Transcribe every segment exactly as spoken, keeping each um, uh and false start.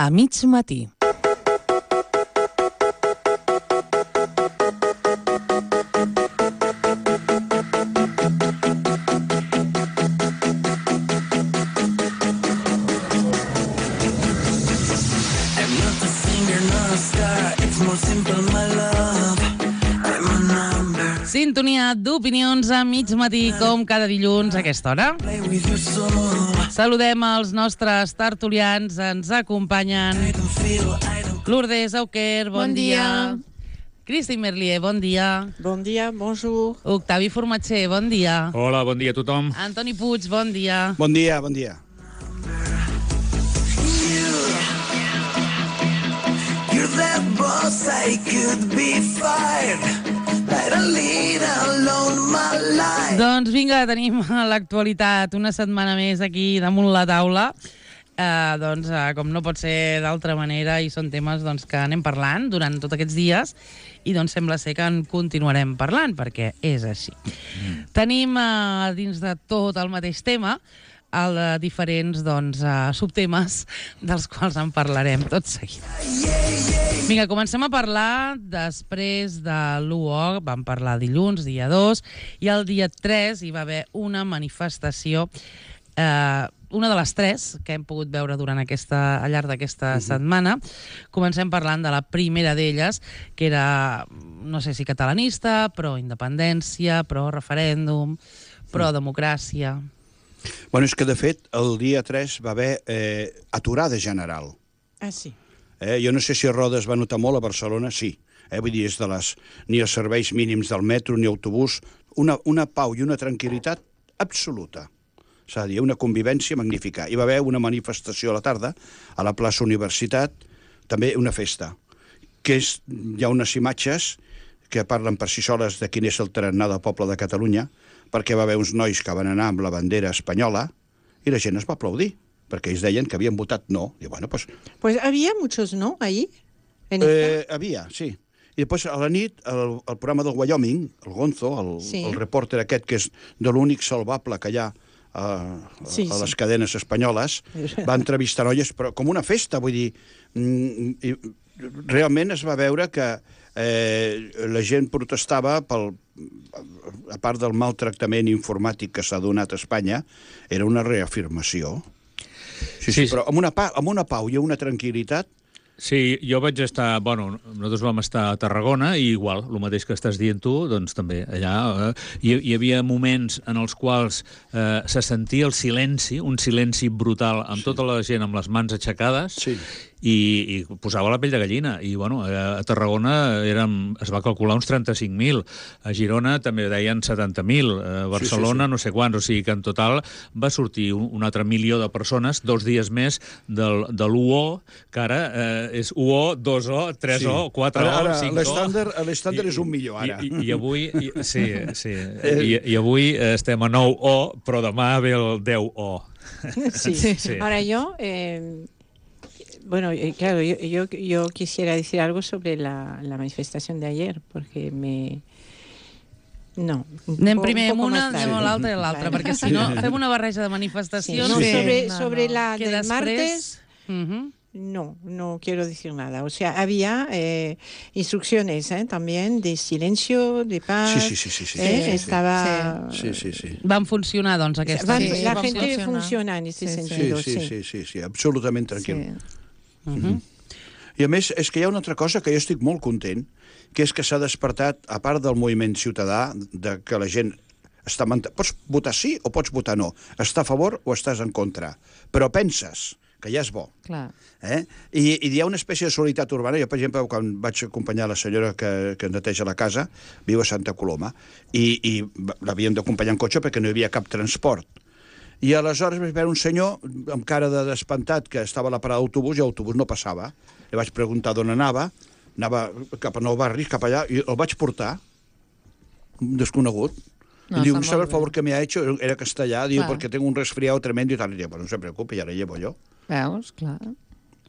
a mig matí. Sintonia d'opinions a mig matí, com cada dilluns a aquesta hora. Saludem els nostres tertulians, ens acompanyen Lourdes Auquer, bon, bon dia. dia. Cristi Merlier, bon dia. Bon dia, bonjour. Octavi Formatger, bon dia. Hola, bon dia a tothom. Antoni Puig, bon dia. Bon dia, bon dia. You're that boss I could be fired. Doncs vinga, tenim l'actualitat una setmana més aquí damunt la taula. Eh, doncs, eh, com no pot ser d'altra manera, i són temes doncs, que anem parlant durant tots aquests dies, i doncs sembla ser que en continuarem parlant, perquè és així. Mm. Tenim eh, dins de tot el mateix tema el de diferents doncs, uh, subtemes dels quals en parlarem tot seguit. Vinga, comencem a parlar després de l'u o, vam parlar dilluns, dia dos, i el dia tres hi va haver una manifestació, eh, una de les tres que hem pogut veure durant aquesta, al llarg d'aquesta uh-huh. setmana. Comencem parlant de la primera d'elles, que era, no sé si catalanista, pro-independència, pro-referèndum, pro-democràcia. Bueno, és que, de fet, el dia tres va haver eh, aturada general. Ah, sí. Eh, jo no sé si a Rodes va notar molt, a Barcelona sí. Eh, vull dir, és de les, ni els serveis mínims del metro ni autobús, una, una pau i una tranquil·litat absoluta. S'ha de dir, una convivència magnífica. Hi va haver una manifestació a la tarda, a la plaça Universitat, també una festa, que és, hi ha unes imatges que parlen per si soles de quin és el tarannà del poble de Catalunya, perquè va haver uns nois que van anar amb la bandera espanyola i la gent es va aplaudir, perquè ells deien que havien votat no. I bueno, pues... Pues había muchos no ahí. En eh, havia, sí. I després a la nit, el, el programa del Wyoming, el Gonzo, el, sí. el reporter aquest, que és de l'únic salvable que hi ha a, a, sí, a les sí. cadenes espanyoles, va entrevistar noies, però com una festa, vull dir... Mm, i, realment es va veure que eh, la gent protestava pel, a part del maltractament informàtic que s'ha donat a Espanya, era una reafirmació. Sí, sí, sí, però amb una, pa, amb una pau i una tranquil·litat. Sí, jo vaig estar... Bueno, nosaltres vam estar a Tarragona i igual, el mateix que estàs dient tu, doncs també allà eh, hi, hi havia moments en els quals eh, se sentia el silenci, un silenci brutal, amb sí. tota la gent amb les mans aixecades, sí. i, i posava la pell de gallina. I, bueno, a Tarragona érem, es va calcular uns trenta-cinc mil, a Girona també deien setanta mil, a Barcelona sí, sí, sí. no sé quants, o sigui que en total va sortir un, un altre milió de persones, dos dies més del, de l'u o, que ara eh, és u o, dos o, tres o, sí. quatre o, ara, cinc o... L'estàndard és un milió, ara. I, i, i avui, i, sí, sí, i, i avui estem a nou o, però demà ve el deu o. Sí, sí. sí. Ahora yo... Eh... Bueno, claro, yo, yo, yo quisiera decir algo sobre la, la manifestación de ayer, porque me... No. Anem primer amb una, anem a l'altra i a l'altra, perquè si no fem una barreja de manifestacions... Sí, no, sí. sobre, no, sobre no. la que del després... martes... Uh-huh. No, no quiero decir nada. O sea, había eh, instrucciones eh, también de silencio, de paz. Sí, sí, sí. sí, sí, eh, sí, sí. Estaba... Sí, sí, sí. Van funcionar, doncs, aquestes. Van, sí, la van gente funcionar. funciona en este sí, sentido, sí. Sí, sí, sí, sí, sí, absolutament tranquil. Sí. Uh-huh. I a més, és que hi ha una altra cosa que jo estic molt content, que és que s'ha despertat, a part del moviment ciutadà, de que la gent està... Mant... Pots votar sí o pots votar no. Està a favor o estàs en contra. Però penses que ja és bo. Clar. Eh? I, I hi ha una espècie de solidaritat urbana. Jo, per exemple, quan vaig acompanyar la senyora que, que neteja la casa, viu a Santa Coloma, i, i l'havíem d'acompanyar en cotxe perquè no hi havia cap transport. I aleshores vaig veure un senyor amb cara de despantat que estava a la parada d'autobús i l'autobús no passava. Li vaig preguntar d'on anava, anava cap a Nou Barris, cap allà, i el vaig portar, un desconegut. No, y digo, ¿sabe el favor que me ha hecho? Era castellà, diu, perquè tengo un resfriado tremendo i tal. I diu, bueno, no se preocupe, ja la llevo jo. Veus, clar.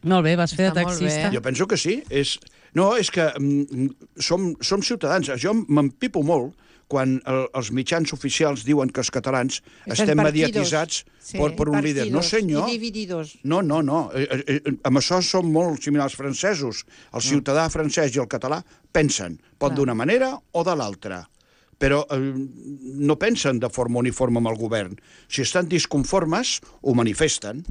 Molt bé, vas fer de taxista. Jo penso que sí. És... No, és que mm, som, som ciutadans. Jo m'empipo molt quan el, els mitjans oficials diuen que els catalans Estan estem partidos. mediatitzats Sí, per, per un partidos líder. No, senyor. i divididos. No, no, no. Eh, eh, eh, amb això són molt similars als francesos. El ciutadà francès i el català pensen, pot Clar. d'una manera o de l'altra. Però eh, no pensen de forma uniforme amb el govern. Si estan disconformes, ho manifesten.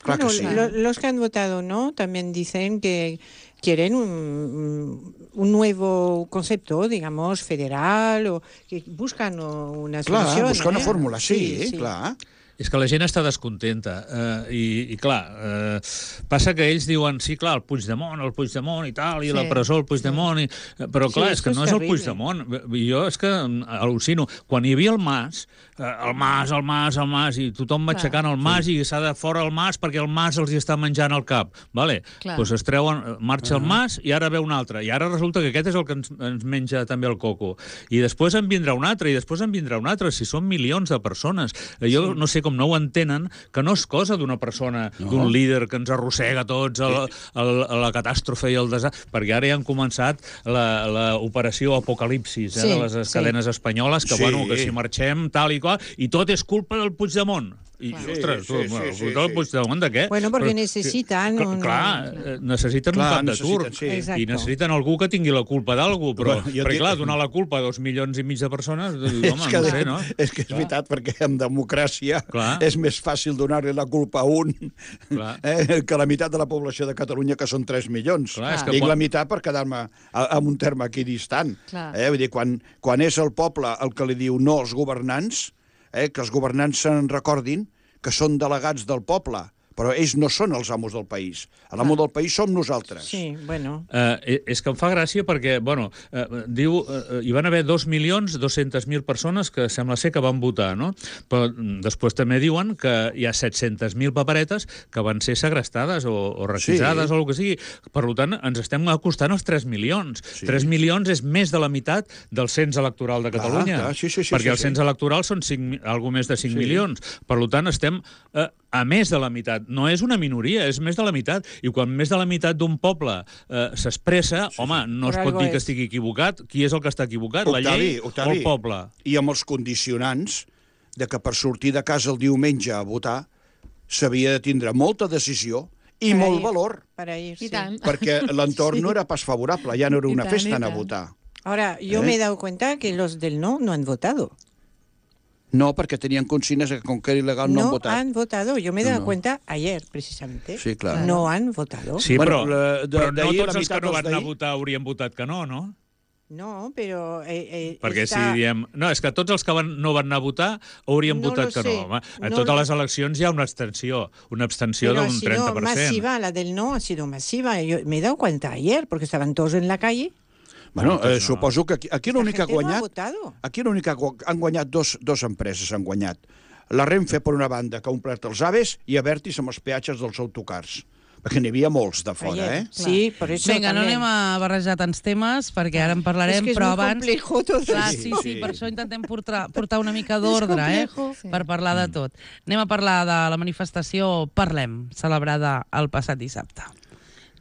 Clar Bueno, que sí. lo- los que han votado no también dicen que quieren un, un nuevo concepto, digamos, federal, o que buscan una Clar, solución. buscar una ¿eh? fórmula, sí, sí, clar. És que la gent està descontenta eh, i, i clar, eh, passa que ells diuen, sí, clar, el Puigdemont, el Puigdemont i tal, i Sí, la presó, el Puigdemont, i, però clar, Sí, és que esto no es és el terrible. Puigdemont. Jo és que al·lucino. Quan hi havia el Mas, eh, el Mas, el Mas, el Mas, i tothom va aixecant el Mas i s'ha de fora el Mas perquè el Mas els hi està menjant el cap. Vale? Clar. Doncs es treuen, marxa el Mas i ara ve un altre. I ara resulta que aquest és el que ens, ens menja també el coco. I després en vindrà un altre, i després en vindrà un altre. Si són milions de persones. Jo no sé com no ho entenen, que no és cosa d'una persona, no. d'un líder que ens arrossega tots a la, a la, a la catàstrofe i el desastre, perquè ara ja han començat l'operació Apocalipsis eh, Sí, de les sí. cadenes espanyoles, que, Sí. bueno, que si marxem tal i qual, i tot és culpa del Puigdemont. I, Clar. ostres, Sí, tu, sí, bueno, sí, culpa del sí. Puigdemont de què? Bueno, perquè Però- necessitan Clar, un- clar, eh, necessiten Clar, un cap de necessiten, turc. sí. Exacto. I necessiten algú que tingui la culpa d'algú, però, Bueno, jo perquè, dic- clar, donar la culpa a dos milions i mig de persones, home, És que, no sé, no? és que és veritat, perquè en democràcia Clar. és més fàcil donar-li la culpa a un Clar. eh, que la meitat de la població de Catalunya, que són tres milions. Clar, és que Dic quan- la meitat per quedar-me a- amb un terme aquí distant. Clar. Eh? Vull dir, quan, quan és el poble el que li diu no als governants, eh, que els governants se'n recordin que són delegats del poble, però ells no són els amos del país. L'amo del país som nosaltres. Sí, bueno. Eh, és que em fa gràcia perquè, bueno, eh, diu, eh, hi van haver dos milions dos-centes mil persones que sembla ser que van votar, no? Però mm, després també diuen que hi ha set-centes mil paperetes que van ser segrestades o, o requisades Sí. o el que sigui. Per tant, ens estem acostant als tres milions. Sí. tres milions és més de la meitat del cens electoral de Clar, Catalunya. clar, sí, sí, sí, perquè sí, el sí. cens electoral són cinc, algo més de cinc Sí. milions. Per tant, estem eh, a més de la meitat. No és una minoria, és més de la meitat. I quan més de la meitat d'un poble eh, s'expressa, sí, home, no Per es pot algo dir que és. estigui equivocat. Qui és el que està equivocat? la Octavi, llei Octavi, o el poble? I amb els condicionants de que per sortir de casa el diumenge a votar s'havia de tindre molta decisió i Para molt ir. valor, Para ir, I sí. tant. perquè l'entorn Sí. no era pas favorable, ja no era I una tant, festa i anar a tant. votar. Ahora, yo ¿Eh? me he dado cuenta que los del no no han votado. No, perquè tenien consignes que com que era il·legal no, No han votat. han votado. Yo me he dado No. cuenta ayer, precisamente. Sí, clar. No han votado. Sí, Bueno, però, la- de- però no d'ahir tots la els que meitat no dels van anar a d'ahir- votar haurien votat que no, no? No, pero... Eh, eh, Perquè está- si diem... No, és que tots els que van, no van anar a votar haurien No votat lo que sé. no. Home. A No totes lo- les eleccions hi ha una abstenció, una abstenció Pero ha d'un sido trenta per cent. masiva, la del no ha sido masiva. Yo me he dado cuenta ayer, porque estaban todos en la calle. Bueno, eh, no. suposo que aquí, aquí La l'únic que ha gente no ha guanyat... votado. Aquí l'únic que ha gu- han guanyat dos, dos empreses, han guanyat. La Renfe, per una banda, que ha omplert els aves, i Avertis amb els peatges dels autocars. Perquè n'hi havia molts de fora, Ayer. eh? Sí, por eso Vinga, no también. anem a barrejar tants temes, perquè ara en parlarem, Es que es però muy abans... complejo todo Clar, esto. sí, sí, Sí. per això intentem portar, portar una mica d'ordre, eh? complejo. Sí. Per parlar de tot. Anem a parlar de la manifestació Parlem, celebrada el passat dissabte.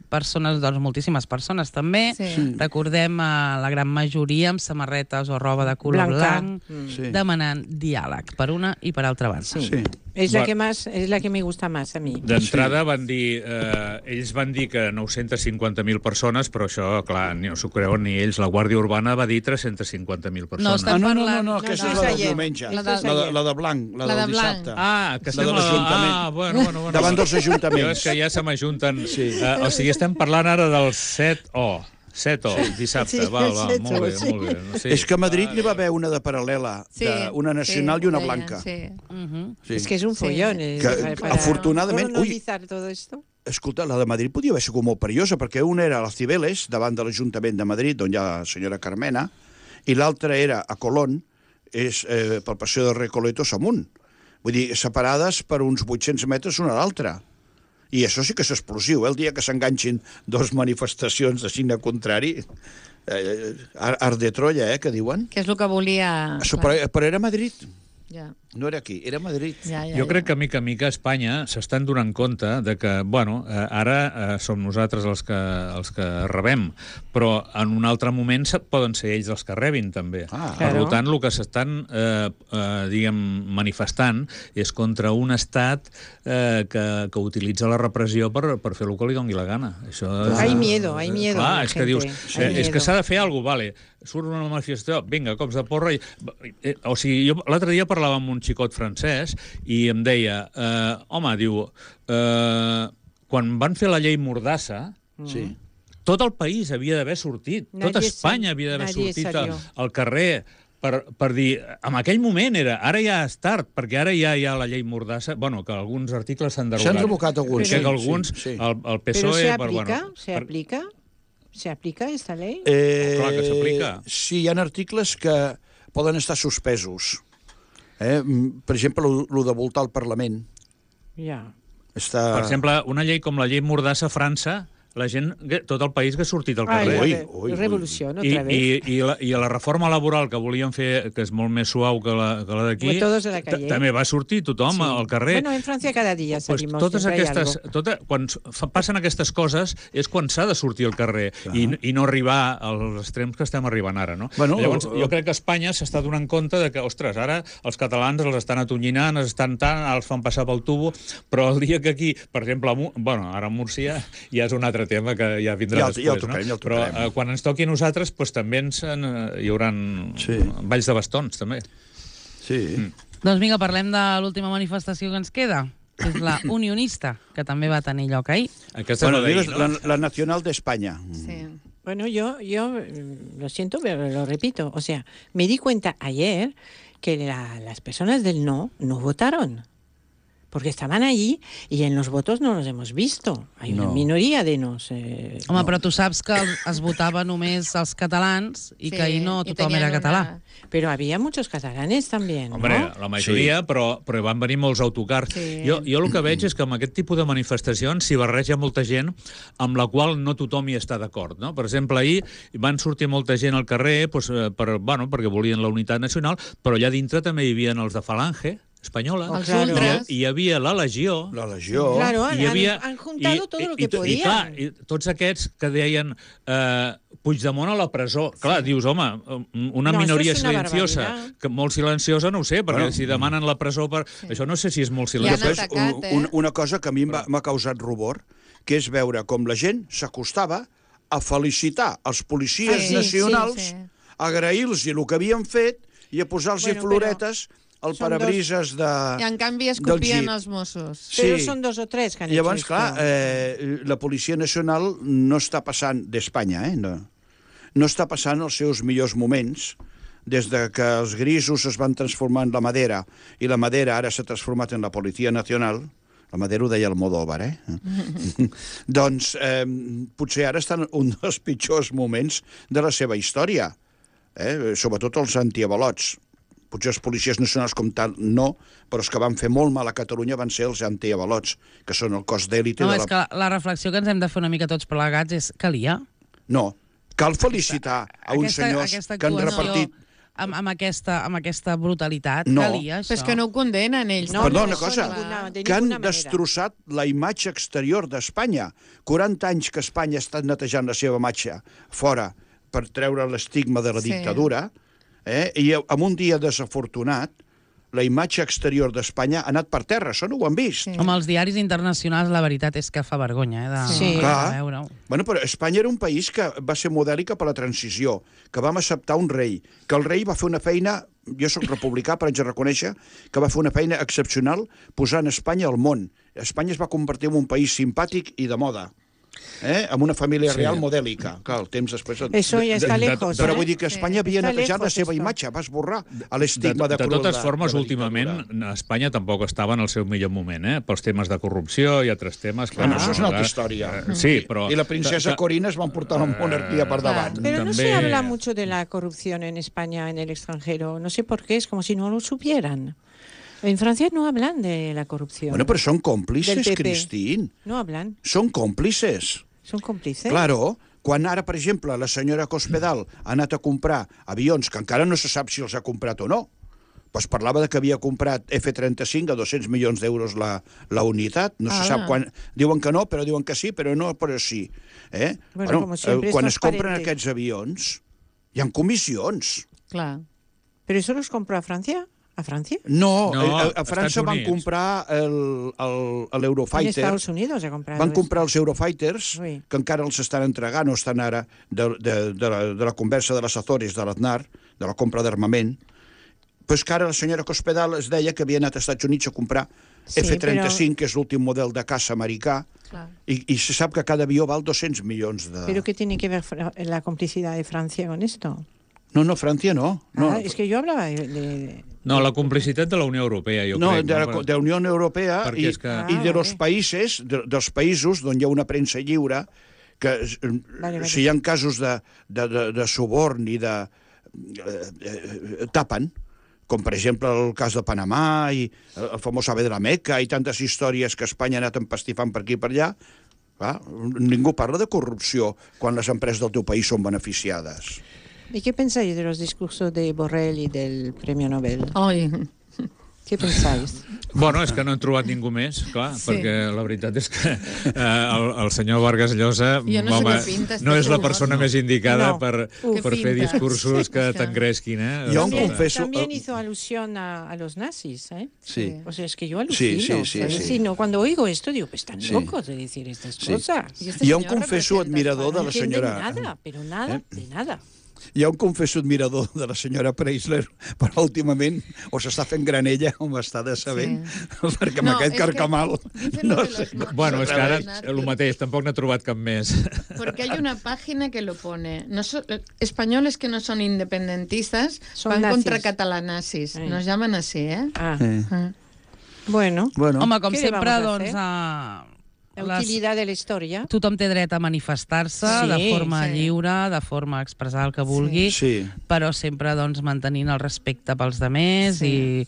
Persones, doncs moltíssimes persones també. Sí. Recordem a la gran majoria amb samarretes o roba de color Blanca. blanc, Mm. Sí. demanant diàleg per una i per altra banda. Sí. Sí. Es la Va- que más, es la que me gusta más a mí. D'entrada van dir, eh, ells van dir que nou-centes cinquanta mil persones, però això, clar, ni no s'ho creuen ni ells. La Guàrdia Urbana va dir tres-centes cinquanta mil persones. No, estem Ah, no, no, no, parlant- no, aquesta no, és no. la del Ayer. diumenge. La La de- de, la, de, la de blanc, la, La del de blanc. dissabte. Ah, que La estem... de a- l'Ajuntament. Ah, bueno, bueno, bueno. Davant dels ajuntaments. Jo és que ja se m'ajunten... Sí. Uh, o sigui, estem parlant ara del set O. set O, dissabte. Sí, val, val, set molt O, bé, sí. molt bé. Sí. És que a Madrid n'hi va haver una de paral·lela, Sí, de una nacional sí, i una deien, blanca. Sí. Mhm. Sí. Es que es un Sí. follón. eh, Que, para- para afortunadament, colonizar todo esto. Escolta, la de Madrid podia haver sigut molt perillosa, perquè una era a les Cibeles, davant de l'Ajuntament de Madrid, on hi ha la senyora Carmena, i l'altra era a Colón, és eh, pel passeig de Recoletos amunt. Vull dir, separades per uns vuit-cents metres una a l'altra. I això sí que és explosiu, eh? El dia que s'enganxin dos manifestacions de signe contrari, eh, art de Troia, eh, que diuen. Que és el que volia... Això, però, però era Madrid. Ja. No era aquí, era a Madrid. Ja, ja, Jo ja. crec que, mica en mica, a Espanya s'estan donant compte de que, bueno, eh, ara eh, som nosaltres els que, els que rebem, però en un altre moment se- poden ser ells els que rebin, també. Ah. Per Claro. tant, el que s'estan, eh, eh, diguem, manifestant és contra un estat eh, que, que utilitza la repressió per, per fer el que li doni la gana. Això és, Hay miedo, hay miedo Clar, en la és que gente, dius, hay eh, és que miedo. s'ha de fer alguna cosa, vale, surt una manifestació, vinga, cops de porra... I, eh, o sigui, jo l'altre dia parlava amb un xicot francès i em deia, eh, home, diu, eh, quan van fer la llei Mordassa, Sí. tot el país havia d'haver sortit, Nadie tota Espanya sal- havia d'haver nadie sortit al, salió. al carrer per, per dir, en aquell moment era, ara ja és tard, perquè ara ja hi ha la llei Mordassa, bueno, que alguns articles s'han derogat. S'han revocat alguns, Que sí, alguns, sí, sí. el, el P S ¿Pero O E... se per, aplica? bueno, ¿Se per- aplica? ¿Se aplica esta ley? Eh, Clar que s'aplica. Sí, hi ha articles que poden estar suspesos. Eh? Mm, Per exemple, el de voltar al Parlament. Ya. Està... Per exemple, una llei com la llei Mordassa a França, la gent, tot el país que ha sortit al Ay, carrer. Ui, la ui, ui. revolución I, otra vez. i, i, la, I la reforma laboral que volien fer, que és molt més suau que la, que la d'aquí, Pues todos de la calle. també va sortir tothom Sí. al carrer. Bueno, en Francia cada día Pues salimos. totes siempre hay aquestes, algo. tota, quan s- fa- passen aquestes coses és quan s'ha de sortir al carrer i, i no arribar als extrems que estem arribant ara, no? Bueno, Llavors, eh, jo crec que Espanya s'està donant compte de que, ostres, ara els catalans els estan atonyinant, els estan tant, els fan passar pel tubo, però el dia que aquí, per exemple, a Mu- bueno, ara a Múrcia ja és un altre tema que ja vindrà Ja el- ja el després, tocarem, ja no? el Però tocarem. eh, quan ens toqui a nosaltres, doncs, també ens, en, hi haurà Sí. balls de bastons, també. Sí. Mm. Doncs vinga, parlem de l'última manifestació que ens queda, que és la unionista, que també va tenir lloc ahir. Aquesta Bueno, és la digues, d'ahir, la, la Nacional de España. Sí. Bueno, yo, yo mm, lo siento, pero lo repito. O sea, me di cuenta ayer que la- las personas del no no votaron. Porque estaban allí y en los votos no los hemos visto. Hay una No. minoría de nos. Eh, Home, però tu saps que el- es votava només els catalans i que ahir no i tothom tenien era una- català. Pero había muchos catalanes también, ¿no? Hombre, la majoria, sí. però, però van venir molts autocars. Sí. Jo, jo el que veig és que amb aquest tipus de manifestacions s'hi barreja molta gent amb la qual no tothom hi està d'acord. No? Per exemple, ahir van sortir molta gent al carrer doncs, eh, per, bueno, perquè volien la unitat nacional, però allà dintre també hi havia els de Falange espanyola, Oh, Els claro. ultras. i hi havia la Legió, La Legió. Claro, han, i hi havia, han, han juntado todo lo que i, i, podían. I, clar, i tots aquests que deien eh, Puigdemont a la presó. Clar, dius, home, una No, minoria això és una silenciosa, barbaritat. que molt silenciosa no ho sé, perquè Bueno. si demanen la presó per... Això no sé si és molt I han silenciós. Després, atacat, un, eh? un, una cosa que a mi m'ha m'ha causat rubor, que és veure com la gent s'acostava a felicitar els policies Sí, sí, nacionals, sí, sí. a agrair-los el que havien fet i a posar-los Bueno, floretes al són parabrises de... I en canvi es del copien Jeep. els Mossos. Pero Sí. son dos o tres que han Llavors, hecho clar, esto. eh, la Policia Nacional no està passant d'Espanya, eh? No, no està passant els seus millors moments des de que els grisos es van transformar en la Madera i la Madera ara s'ha transformat en la Policia Nacional. La Madera ho deia el Modóvar, eh? Doncs eh, potser ara estan un dels pitjors moments de la seva història, eh? Sobretot els antiavalots. Potser els policies nacionals com tal no, però els que van fer molt mal a Catalunya van ser els antiavalots, que són el cos d'èlite No, de és la... que la reflexió que ens hem de fer una mica tots plegats és calia. No, cal felicitar a uns senyors aquesta que han actuació repartit... amb, amb, aquesta, amb aquesta brutalitat, No. calia això. Però és que no ho condenen ells. No, Perdó, no, una això cosa, ninguna- de que han ninguna manera. destrossat la imatge exterior d'Espanya. quaranta anys que Espanya ha estat netejant la seva imatge fora per treure l'estigma de la Sí. dictadura, eh? I en un dia desafortunat, la imatge exterior d'Espanya ha anat per terra, això no ho han vist. Sí. Amb els diaris internacionals la veritat és que fa vergonya, eh, de, Sí. de Clar. veure-ho. Bueno, però Espanya era un país que va ser modèlica per la transició, que vam acceptar un rei, que el rei va fer una feina, jo sóc republicà, però haig de reconèixer que va fer una feina excepcional posant Espanya al món. Espanya es va convertir en un país simpàtic i de moda, eh? Amb una família Sí. real modèlica. Clar, el temps després... Eso ya está de- de- lejos. Però ¿eh? vull dir que Espanya havia Està netejat la lejos seva esto. imatge, va esborrar De, l'estigma de, de cruel totes de- formes, de la últimament, dictadura. Espanya tampoc estava en el seu millor moment, eh? Pels temes de corrupció i altres temes. Bueno, clar, això és una altra ara- història. eh, Sí, però... I la princesa que- Corina es van portar la monarquia per davant. Pero no se També- habla mucho de la corrupción en España, en el extranjero. No sé por qué, es como si no lo supieran. En Francia no hablan de la corrupción. Bueno, però són còmplices, Del P P. Cristín. No hablan, Són còmplices. son cómplices. Claro, quan ara, per exemple, la senyora Cospedal ha anat a comprar avions, que encara no se sap si els ha comprat o no, Pues parlava de que havia comprat F trenta-cinc a dos-cents milions d'euros la, la unitat. No ah. se sap quan... Diuen que no, però diuen que sí, però no, però sí. Eh? Bueno, bueno, eh, quan es compren aquests avions, hi ha comissions. Clar. ¿Pero eso los compró a Francia? ¿A Francia? No, no a, a França van comprar l'Eurofighter. En Estados Unidos ha comprado. Van comprar els Eurofighters, sí. que encara els estan entregant, o estan ara, de, de, de, la, de la conversa de les Azores, de l'Aznar, de la compra d'armament. Però és que ara la senyora Cospedal es deia que havia anat als Estats Units a comprar sí, F trenta-cinc, però... que és l'últim model de caça americà, i, i se sap que cada avió val dos-cents milions de... ¿Pero qué tiene que ver la complicidad de Francia con esto? No, no, Francia no. no. Ah, es que yo hablaba de... de... No, la complicitat de la Unió Europea, jo no, crec. De la, no, de la Unió Europea i, que... ah, i de vale. los països, de, dels països on hi ha una premsa lliure, que vale, vale. si hi ha casos de, de, de, de suborn i de... Eh, eh, tapen, com per exemple el cas de Panamà i el famós Ave de la Meca i tantes històries que Espanya ha anat empastifant per aquí i per allà. Clar, ningú parla de corrupció quan les empreses del teu país són beneficiades. ¿Y qué pensáis de los discursos de Borrell y del Premio Nobel? Ai. ¿Qué pensáis? Bueno, és que no han trobat ningú més, clar, sí. perquè la veritat és que eh, el, el senyor Vargas Llosa no, home, pinta, no és la persona no. més indicada no. per, Uf, per fer discursos sí, que t'engresquin. Eh? Yo también, confeso, también hizo alusión a, a los nazis, ¿eh? Sí. O sea, es que yo alucino. Sí, sí, sí, ¿sabes? sí. Sí, no, cuando oigo esto digo, pues están sí. locos de decir estas sí. cosas. Y este jo em confesso admirador de la senyora... No entienden nada, pero nada, eh? de nada. Jo em confesso admirador de la senyora Preisler, però últimament o s'està fent granella o m'està de saber, sí. perquè amb no, aquest carcamal... No sé. Bueno, és que ara el mateix, tampoc n'ha trobat cap més. Porque hay una página que lo pone. No so, españoles que no son independentistas son van nazis. Contra catalanazis. Sí. Nos llaman así, ¿eh? Ah. Sí. Ah. Bueno. bueno. Home, com sempre, doncs... A... La utilitat de la història. Tothom té dret a manifestar-se sí, de forma sí. lliure, de forma a expressar el que vulgui, sí. Sí. però sempre doncs, mantenint el respecte pels demés sí. i,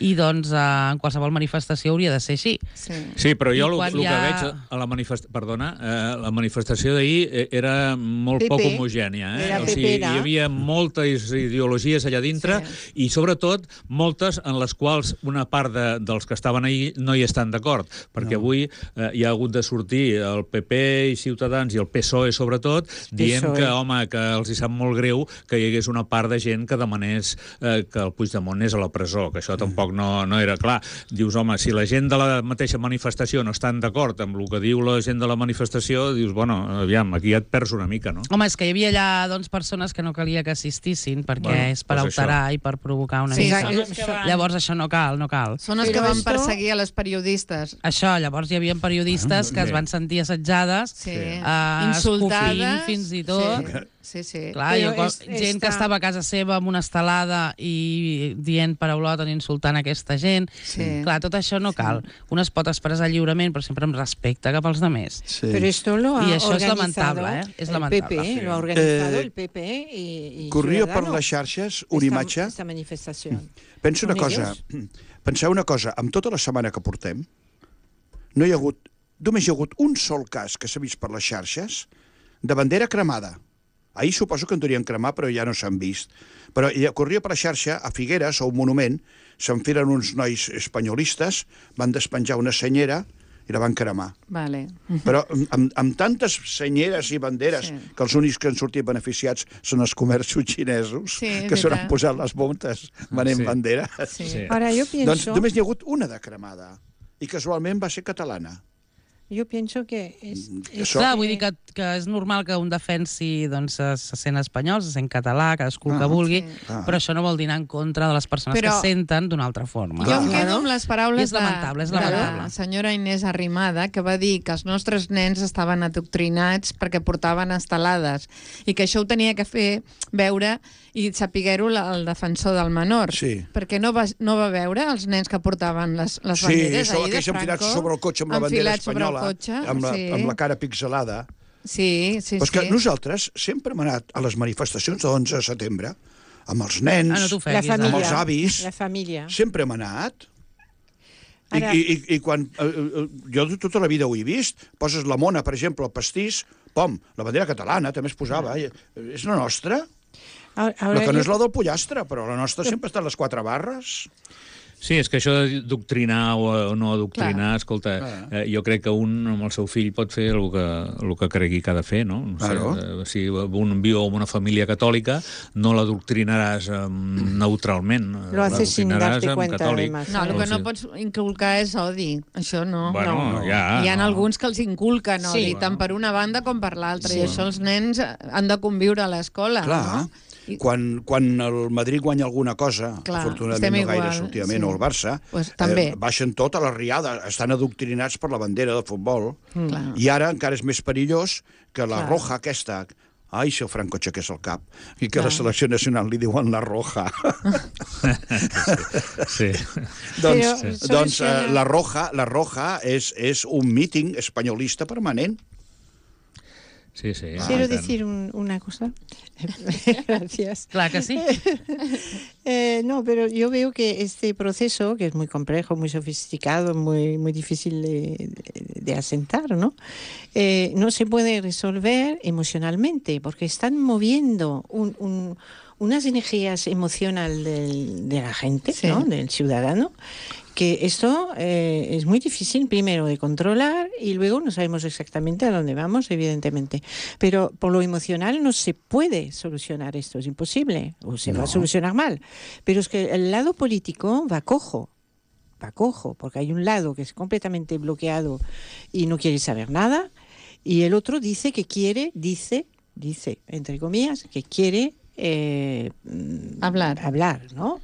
i doncs, en qualsevol manifestació hauria de ser així. Sí, sí però jo el, el que ha... veig a la manifestació... Perdona, eh, la manifestació d'ahir era molt P P. poc homogènia. Eh? Era o sigui, P P, hi havia moltes ideologies allà dintre sí. i, sobretot, moltes en les quals una part de, dels que estaven ahir no hi estan d'acord, perquè no. avui eh, hi ha hagut de sortir el P P i Ciutadans i el P S O E, sobretot, dient P S O E. que, home, que els hi sap molt greu que hi hagués una part de gent que demanés eh, que el Puigdemont és a la presó, que això mm. tampoc no, no era clar. Dius, home, si la gent de la mateixa manifestació no estan d'acord amb el que diu la gent de la manifestació, dius, bueno, aviam, aquí ja et perds una mica, no? Home, és que hi havia allà doncs, persones que no calia que assistissin perquè bueno, és per pues alterar això. I per provocar una sí, mica. Sí, van... Llavors això no cal, no cal. Són els que van perseguir a les periodistes. Això, llavors hi havia periodistes que es van sentir assetjades, sí. uh, insultades, fins i tot. Sí. Sí, sí. Clar, jo, és, gent està... que estava a casa seva amb una estelada i dient paraulotes, insultant aquesta gent. Sí. Clar, tot això no cal. Sí. Un es pot expressar lliurement, però sempre amb respecte cap als demés. Sí. Però esto lo ha I això és lamentable, eh? És lamentable. El P P, sí. lo ha organizado eh, el P P i, i corria per les xarxes una imatge... Esta manifestació. Pensa una cosa, penseu una cosa, amb tota la setmana que portem, no hi ha hagut, només hi ha hagut un sol cas que s'ha vist per les xarxes de bandera cremada. Ahir suposo que en devien cremar, però ja no s'han vist. Però ja corria per la xarxa, a Figueres, a un monument, s'enfilen uns nois espanyolistes, van despenjar una senyera i la van cremar. Vale. Però amb, amb tantes senyeres i banderes, sí. que els únics que han sortit beneficiats són els comerços xinesos, sí, que s'han posat les bombes venent sí. banderes. Sí. Sí. Ara, jo penso... Doncs només n'hi ha hagut una de cremada, i casualment va ser catalana. Jo penso que... És, és Clar, vull dir que, que és normal que un defensi doncs, se sent espanyol, se sent català, cadascú ah, que vulgui, sí. ah. però això no vol dir anar en contra de les persones però... que senten d'una altra forma. Jo em quedo amb les paraules és lamentable, és de, lamentable. de la senyora Inés Arrimada, que va dir que els nostres nens estaven adoctrinats perquè portaven estelades i que això ho tenia que fer veure i sapiguer-ho el defensor del menor. Sí. Perquè no va, no va veure els nens que portaven les, les banderes sí, ahir de Franco. Sí, enfilats sobre el cotxe amb la bandera espanyola, cotxe, amb, la, sí. amb la cara pixelada. Sí, sí, Però és que sí. nosaltres sempre hem anat a les manifestacions de l'onze de setembre amb els nens, ah, no la família, amb els avis. La família. Sempre hem anat. I, Ara... i, i, i quan... Eh, jo tota la vida ho he vist. Poses la mona, per exemple, el pastís, pom, la bandera catalana també es posava. Ah. És la nostra. La que no és la del pollastre, però la nostra sempre està a les quatre barres. Sí, és que això de doctrinar o no adoctrinar, clar. Escolta, eh, jo crec que un amb el seu fill pot fer el que, el que cregui que ha de fer, no? no sé, claro. eh, si un viu en una família catòlica, no l'adoctrinaràs eh, neutralment. Lo haces sin darte cuenta, además. No, el que no pots inculcar és odi, això no. Bueno, no. Ja, Hi ha no. alguns que els inculquen odi, sí. tant per una banda com per l'altra, Sí. i això els nens han de conviure a l'escola. Clar. No? I... Quan, quan el Madrid guanya alguna cosa, Clar, afortunadament no gaire sortidament, sí. o el Barça, pues, també. eh, baixen tot a la riada, estan adoctrinats per la bandera de futbol. Mm. I ara encara és més perillós que la Clar. roja aquesta... Ai, si el Franco aixequés el cap. I que Clar. la selecció nacional li diuen la roja. sí. doncs Però, sí. doncs eh, la roja, la roja és, és un míting espanyolista permanent. Sí, sí. Quiero Ah, decir un, una cosa. Gracias. Clar que sí. Eh, no, pero yo veo que este proceso, que es muy complejo, muy sofisticado, muy, muy difícil de, de, de asentar, ¿no? Eh, no se puede resolver emocionalmente, porque están moviendo un, un, unas energías emocionales del, de la gente, Sí. ¿no? Del ciudadano, que esto eh, es muy difícil, primero, de controlar y luego no sabemos exactamente a dónde vamos, evidentemente. Pero por lo emocional no se puede solucionar esto, es imposible, o se No. va a solucionar mal. Pero es que el lado político va cojo, va cojo, porque hay un lado que es completamente bloqueado y no quiere saber nada, y el otro dice que quiere, dice, dice, entre comillas, que quiere eh, Hablar. hablar, ¿no?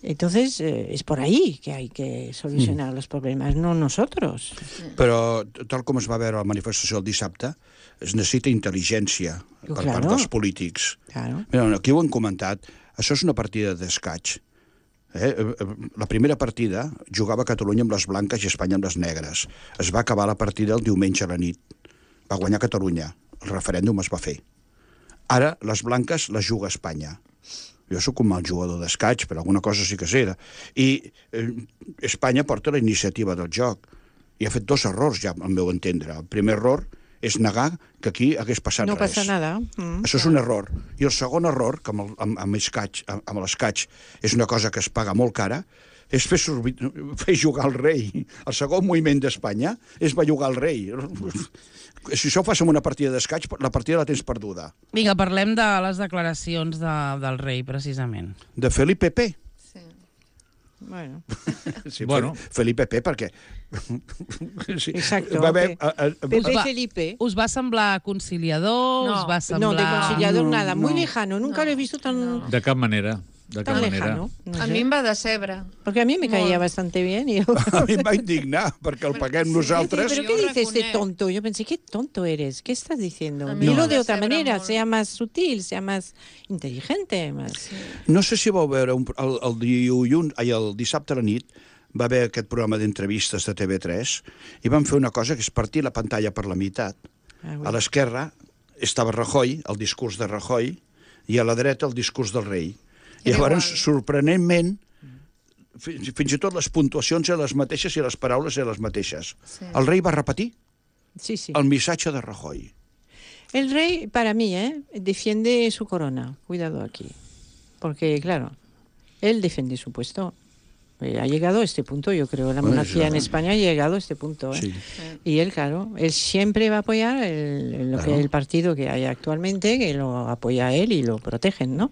Entonces, eh, es por ahí que hay que solucionar mm. los problemas, no nosotros. Però, tal com es va veure a la manifestació el dissabte, es necessita intel·ligència per Claro. part dels polítics. Claro. Mira, aquí ho hem comentat, això és una partida d'escaig. Eh? La primera partida jugava Catalunya amb les blanques i Espanya amb les negres. Es va acabar la partida el diumenge a la nit. Va guanyar Catalunya. El referèndum es va fer. Ara, les blanques les juga Espanya. Jo sóc un mal jugador d'escaig, però alguna cosa sí que sé. I eh, Espanya porta la iniciativa del joc. I ha fet dos errors, ja, al meu entendre. El primer error és negar que aquí hagués passat No res. passa nada. Mm. Això és un error. I el segon error, que amb, el, amb, amb, escaig, amb l'escaig és una cosa que es paga molt cara, és fer, sorbi... fer jugar el rei. El segon moviment d'Espanya és bellugar el rei. Si això ho fas amb una partida d'escaig, la partida la tens perduda. Vinga, parlem de les declaracions de, del rei, precisament. De Felipe P. Sí. Bueno. Sí, Bueno. Felipe P, perquè... Sí. Exacto. Va haver, Pe- a, a, Pepe Us va- Felipe. Us va semblar conciliador? No. Us va semblar... No, de conciliador No, nada, muy no. lejano. Nunca No, lo he visto tan, De cap manera. De tan cap manera. lejano. No A sé. mi em va decebre. Porque a mí me caía Molt. bastante bien. Y yo... a mi em va indignar, perquè el paguem sí, nosaltres. ¿Pero Yo qué dice este reconec- tonto? Yo pensé, ¿qué tonto eres? ¿Qué estás diciendo? A mí Dilo me de otra decebre manera, molt. sea más sutil, sea más inteligente. Más... No sé si vau veure, un, el, el, dilluns, ai, el dissabte a la nit, va haver aquest programa d'entrevistes de T V tres i van fer una cosa que és partir la pantalla per la meitat. Ah, A l'esquerra estava Rajoy, el discurs de Rajoy, i a la dreta el discurs del rei. I Era llavors, igual. sorprenentment, fins, fins i tot les puntuacions eren les mateixes i les paraules eren les mateixes. Sí. El rei va repetir Sí, sí. el missatge de Rajoy. El rey, para mí, ¿eh? defiende su corona. Cuidado aquí. Porque, claro, él defiende su puesto. Eh, ha llegado a este punto, yo creo. La Bueno, monarquía ya. en España ha llegado a este punto. ¿eh? Sí. Y él, claro, él siempre va a apoyar el, el- lo Claro. que el partido que hay actualmente, que lo apoya a él y lo protegen, ¿no?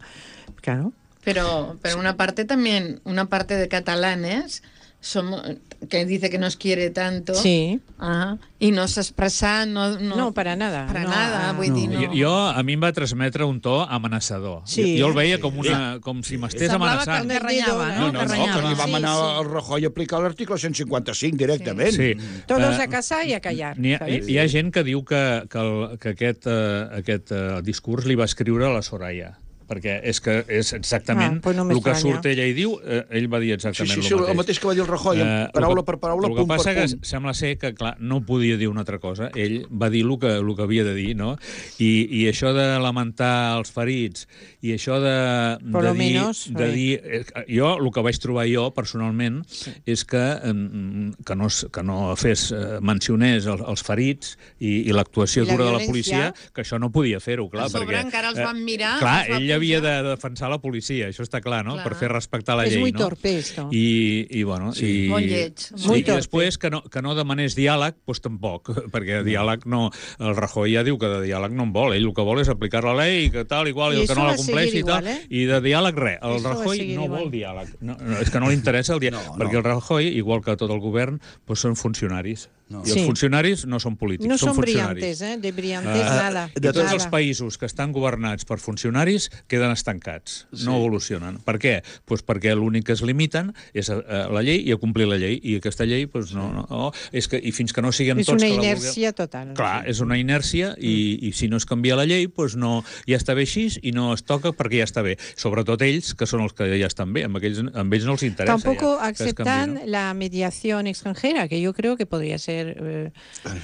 Claro. Pero, pero una parte también, una parte de catalanes somos, que dice que nos quiere tanto. Sí. Ah, i no s'expressa... No, no, No, para nada. para No, nada, ah, vull no. dir, no. Jo, jo, a mi em va transmetre un to amenaçador. Sí. Jo, jo el veia com, una, com si m'estés Semblava amenaçant. que renyava, No, no? no, Que no, renyava. que li va Sí, manar sí. el Rajoy a aplicar l'article cent cinquanta-cinc directament. Sí. Todos Eh, a casa y a callar. N'hi ha, ¿sabes? hi ha gent que diu que, que, el, que aquest, uh, aquest uh, discurs li va escriure a la Soraya, perquè és que és exactament Ah, pues no el que m'estranya. surt ella i diu, eh, ell va dir Sí, exactament sí, sí, el mateix. el mateix que va dir el Rajoy, Eh, paraula el que- per paraula, el punt que passa per que punt. sembla ser que, clar, no podia dir una altra cosa. Ell va dir el que, el que havia de dir, no? I, i això de lamentar els ferits, i això de, Por de lo dir... menos, de eh. dir eh, jo, el que vaig trobar jo, personalment, és que, eh, que, no, es- que no fes, eh, mencionés els, els ferits i, i l'actuació I la dura de la violència. policia, que això no podia fer-ho, clar. A sobre perquè, encara els eh, van mirar, clar, els va ell havia havia de defensar la policia, això està clar, no? Clar. Per fer respectar la Es llei, muy no? torpe esto. I, i bueno... Sí. I, Molt lleig. Sí, Muy i torpe. després que no, que no demanés diàleg, doncs tampoc, perquè diàleg no... El Rajoy ja diu que de diàleg no en vol, ell el que vol és aplicar la llei i que tal, igual, i, I el que això no va la compleixi i seguir tal, igual, eh? i de diàleg res. El Això va Rajoy seguir no igual. vol diàleg. No, no, és que no li interessa el diàleg, No, perquè no. el Rajoy, igual que tot el govern, doncs són funcionaris. No. I els Sí. funcionaris no són polítics, No són son funcionaris. brillantes, ¿eh? De brillantes Ah, nada. De tots nada. els països que estan governats per funcionaris queden estancats, Sí. no evolucionen. Per què? Pues perquè l'únic que es limiten és a, a la llei i a complir la llei, i aquesta llei pues, no, no, no, és que, i fins que no siguem Es tots una que la inercia total. vulguem... Clar, és una inèrcia i, i si no es canvia la llei pues no, ja està bé així i no es toca perquè ja està bé. Sobretot ells, que són els que ja estan bé, amb, aquells, amb ells no els interessa. Tampoco ja, que es aceptan canvi, no? la mediación extranjera, que yo creo que podría ser eh,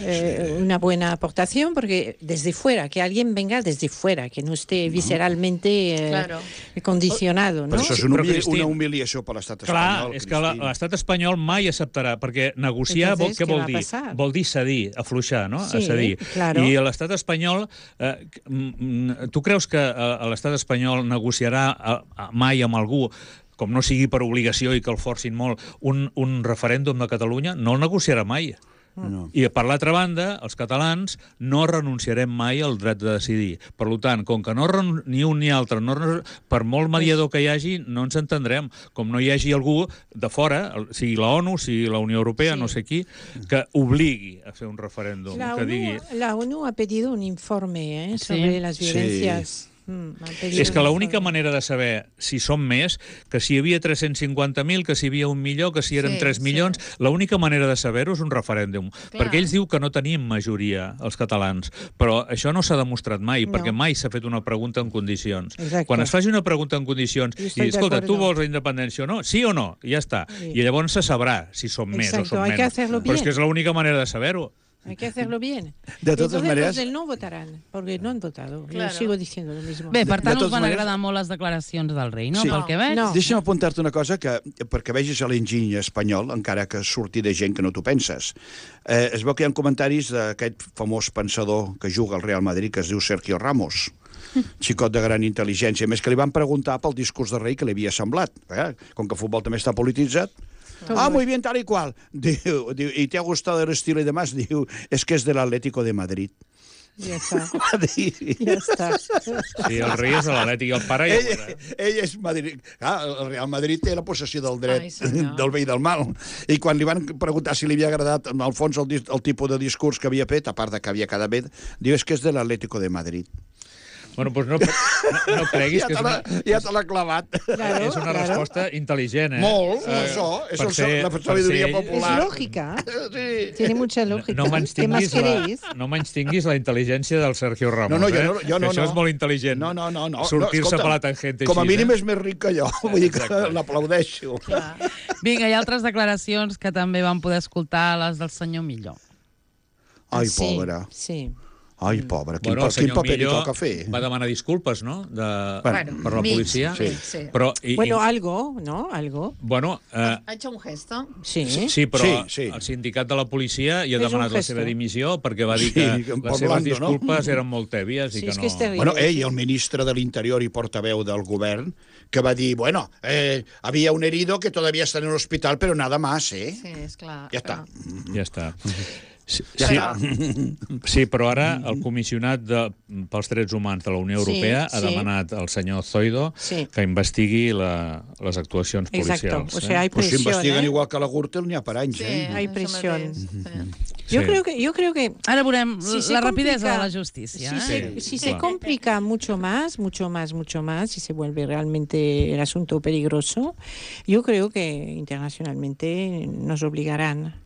eh, una buena aportación, porque desde fuera, que alguien venga desde fuera, que no esté visceralmente eh, Claro. condicionado, ¿no? Però això és una, Però, humili Cristín, una humiliació per l'estat Clar, espanyol. és que la- Cristín. l'estat espanyol mai acceptarà, perquè negociar vol, Entonces, què ¿qué vol va a dir? pasar? Vol dir cedir, afluixar, no? Sí, a cedir. claro. I l'estat espanyol... Eh, mm, tu creus que eh, l'estat espanyol negociarà eh, mai amb algú com no sigui per obligació i que el forcin molt, un, un referèndum de Catalunya? No el negociarà mai. No. I, per l'altra banda, els catalans no renunciarem mai al dret de decidir. Per tant, com que no ren- ni un ni altre, no, ren- per molt mediador que hi hagi, no ens entendrem. Com no hi hagi algú de fora, el- sigui la ONU, sigui la Unió Europea, Sí. no sé qui, que obligui a fer un referèndum. La que ONU, digui... la ONU ha pedido un informe ¿eh? Sí. sobre las Sí. violencias. Mm, ha pedido És que un l'única informe. manera de saber si som més, que si hi havia tres-cents cinquanta mil, que si hi havia un milió, que si eren Sí, tres sí. milions, l'única manera de saber-ho és un referèndum. Clar. Perquè ells diu que no tenim majoria, els catalans. Però això no s'ha demostrat mai, No. perquè mai s'ha fet una pregunta en condicions. Exacte. Quan es faci una pregunta en condicions Jo i estoy de escolta, tu acuerdo. vols la independència o no? Sí o no? I ja està. Sí. I llavors se sabrà si som més o Exacto, som hay que menys. hacerlo Però és bien. que és l'única manera de saber-ho. Hay que hacerlo bien. De totes Entonces, maneres- los del no votarán, porque no han votado. Claro. Yo sigo diciendo lo mismo. Bé, per De- tant, de us van totes maneres- agradar molt les declaracions del rei, no? Sí. Pel que veig. No. Deixa'm apuntar-te una cosa que, perquè vegis l'enginy espanyol, encara que surti de gent que no t'ho penses. Eh, es veu que hi ha comentaris d'aquest famós pensador que juga al Real Madrid, que es diu Sergio Ramos, xicot de gran intel·ligència. A més, que li van preguntar pel discurs de rei que li havia semblat. Eh? Com que el futbol també està polititzat. Ah, muy bien, tal y cual. Diu, diu, ¿y te ha gustado el estilo y demás? Diu, es que es del Atlético de Madrid. Ya está. Va dir. Ya está. Sí, el rei és de l'Atlètic i el pare ja ho Ell, era. ell és Madrid. Clar, el Real Madrid té la possessió del dret Ai, senyor. del bé i del mal. I quan li van preguntar si li havia agradat, en el fons, el, dis- el tipus de discurs que havia fet, a part de que havia quedat bé, diu, és que és de l'Atlético de Madrid. Bueno, doncs no, no, no creguis Ja que és te una, l'ha ja te l'ha clavat. Claro, és una claro. resposta intel·ligent, eh? Molt, Eh, això, és per el, ser- la per sabidoria ser ell- Es popular. lógica. Sí. Tiene mucha lógica. No menys ¿Qué más tinguis, la, queréis? no menys tinguis la intel·ligència del Sergio Ramos, No, no, jo eh? no- jo no, Que això no. és molt intel·ligent. No, no, no. no. Sortir-se no, escolta, per la tangent com a així, mínim eh? és més ric que jo. Vull dir que Exacte. l'aplaudeixo. Vinga, hi ha altres declaracions que també vam poder escoltar, les del senyor Milló. Ai, Sí, pobra. Sí. Ai, pobra. Quin, Bueno, el pa- quin senyor paper li Millo toca fer? va demanar disculpes, no?, de, Bueno, per la mig, policia. mig, sí. Però, i, Bueno, i, algo, ¿no? Algo. bueno eh, Ha hecho un gesto. Sí. sí, però Sí, sí. el sindicat de la policia hi ha És un demanat la gesto. seva dimissió perquè va dir Sí, que que les por seves blando, no? disculpes eren molt tèbies i Sí, que és no... que és terrible. Bueno, ell, el ministre de l'Interior i portaveu del govern, que va dir, bueno, eh, había un herido que todavía está en el hospital, pero nada más, ¿eh? Sí, és clar. Ja està. Ja està. Sí, Ja sí, està. sí, però ara el comissionat de, pels drets humans de la Unió Sí, Europea ha sí. demanat al senyor Zoido Sí. que investigui la, les actuacions Exacto. policials. O sea, hay Pues si presión, investiguen ¿eh? igual que la Gürtel, n'hi ha per anys, Sí, eh? Hay això presión. mateix, sí. Yo Sí. creo que, yo creo que Ara veurem si se la rapidesa complica- de la justícia. Si, eh? se, Sí, si se claro. complica mucho más, mucho más, mucho más, y se vuelve realmente el asunto peligroso, yo creo que internacionalmente nos obligarán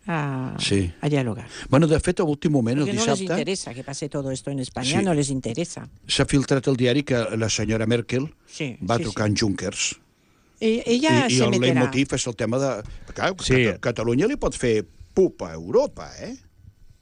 a, Sí. a dialogar. Bueno, de fet, a l'últim moment, el Porque no les dissabte, interesa que pase todo esto en España, Sí. no les interesa. s'ha filtrat al diari que la senyora Merkel Sí, va sí, trucar sí. en Junckers. E- Ella I, i se el meterà. leitmotiv és el tema de... Clar, Sí. Cata- Catalunya li pot fer pupa a Europa, eh?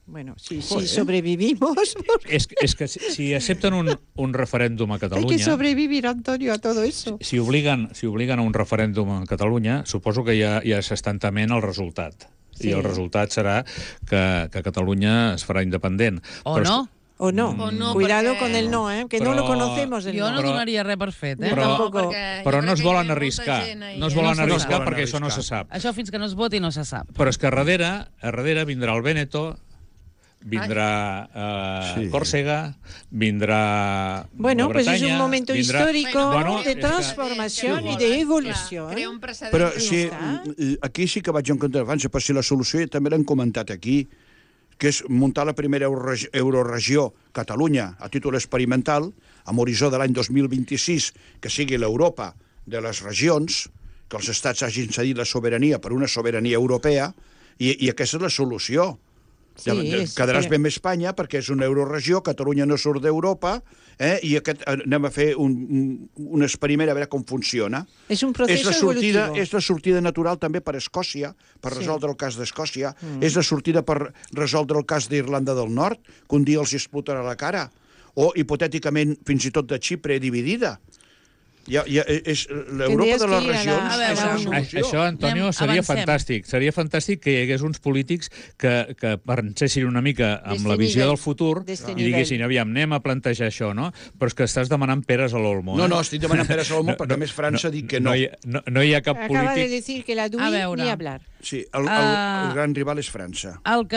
Bueno, si, si Joder. sobrevivimos, És, és que si, si accepten un, un referèndum a hay que Catalunya, sobrevivir, Antonio, a todo eso. si obliguen, si obliguen a un referèndum a Catalunya, suposo que ja, ja s'estan tement el resultat. Sí. I el resultat serà que, que Catalunya es farà independent. O Però és- no. O no. O no, Cuidado perquè- con el no, ¿eh? Que Però- no lo conocemos el Jo no Però- donaria res per fet, eh? Però- tampoco. perquè Però jo no crec es que hi ha volen molta arriscar. gent ahí, No es eh? volen No se arriscar volen perquè això no arriscar. se sap. Això fins que no es voti no se sap. Però és que a darrere, a darrere vindrà el Véneto, vindrà eh, Sí. Còrsega, vindrà Bueno, la pues es Bretanya, un momento vindrà... histórico Bueno, de és que- transformación que- y que- de evolución. Crea un precedent. Però I si, ja està. mm, aquí sí que vaig en contra d'abans, però si la solució també l'hem comentat aquí, que és muntar la primera euroregi- euroregió Catalunya a títol experimental, amb horitzó de l'any dos mil vint-i-sis, que sigui l'Europa de les regions, que els estats hagin cedit la sobirania per una sobirania europea, i, i aquesta és la solució. Sí, Ja- és- Quedaràs però- ben amb Espanya perquè és una euroregió, Catalunya no surt d'Europa, eh, i aquest, anem a fer un, un, un experiment a veure com funciona. Es un És proceso la, sortida, evolutivo. és la sortida natural també per Escòcia, per Sí. resoldre el cas d'Escòcia. Mm. És la sortida per resoldre el cas d'Irlanda del Nord, que un dia els explotarà la cara. O, hipotèticament, fins i tot de Xipre dividida. Ja, ja, és l'Europa Tendries de les que ir a la- regions a veure, és la un- solució. Això, Antonio, Anem, seria avancem. fantàstic. Seria fantàstic que hi hagués uns polítics que, que pensessin una mica amb D'este la visió nivell, del futur d'este i nivell. diguessin, aviam, anem a plantejar això, no? Però és que estàs demanant peres a l'olmo. No, eh? no, estic demanant peres a l'olmo perquè, a més, França ha dit que no. No hi, no, no hi ha cap Acaba de polític... decir que la D U A I veure. ni hablar. Sí, el, el, Ah. el gran rival és França. El que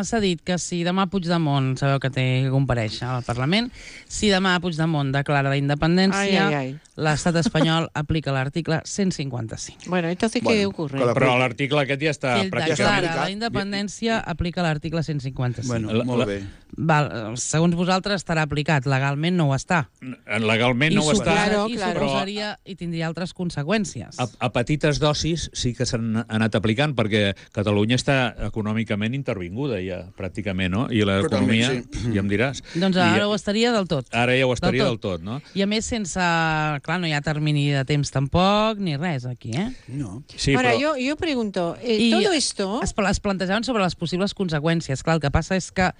s'ha dit, que si demà Puigdemont, sabeu que té que comparèixer al Parlament, si demà Puigdemont declara la independència, Ai, ai, ai. l'estat espanyol aplica l'article cent cinquanta-cinc. Bueno, entonces, Bueno, ¿qué ocurre? que la- Però l'article aquest ja està Si ell pràcticament... declara aplicat. la independència, aplica l'article cent cinquanta-cinc. Bueno, La- molt la- bé. Val, segons vosaltres estarà aplicat, legalment no ho està. Legalment no ho suposa- està. Claro, i claro. suposaria i tindria altres conseqüències. A, a petites dosis sí que s'han anat aplicant, perquè Catalunya està econòmicament intervinguda ja, pràcticament, no? I l'economia, Totalment, ja em diràs. Doncs I, ara ho estaria del tot. ara ja ho estaria Del del tot. tot, no? I a més sense... Clar, no hi ha termini de temps tampoc, ni res aquí, eh? No. Sí, Ahora, però... yo, yo pregunto, eh, I todo esto... es, es plantejaven sobre les possibles conseqüències. Clar, el que passa és que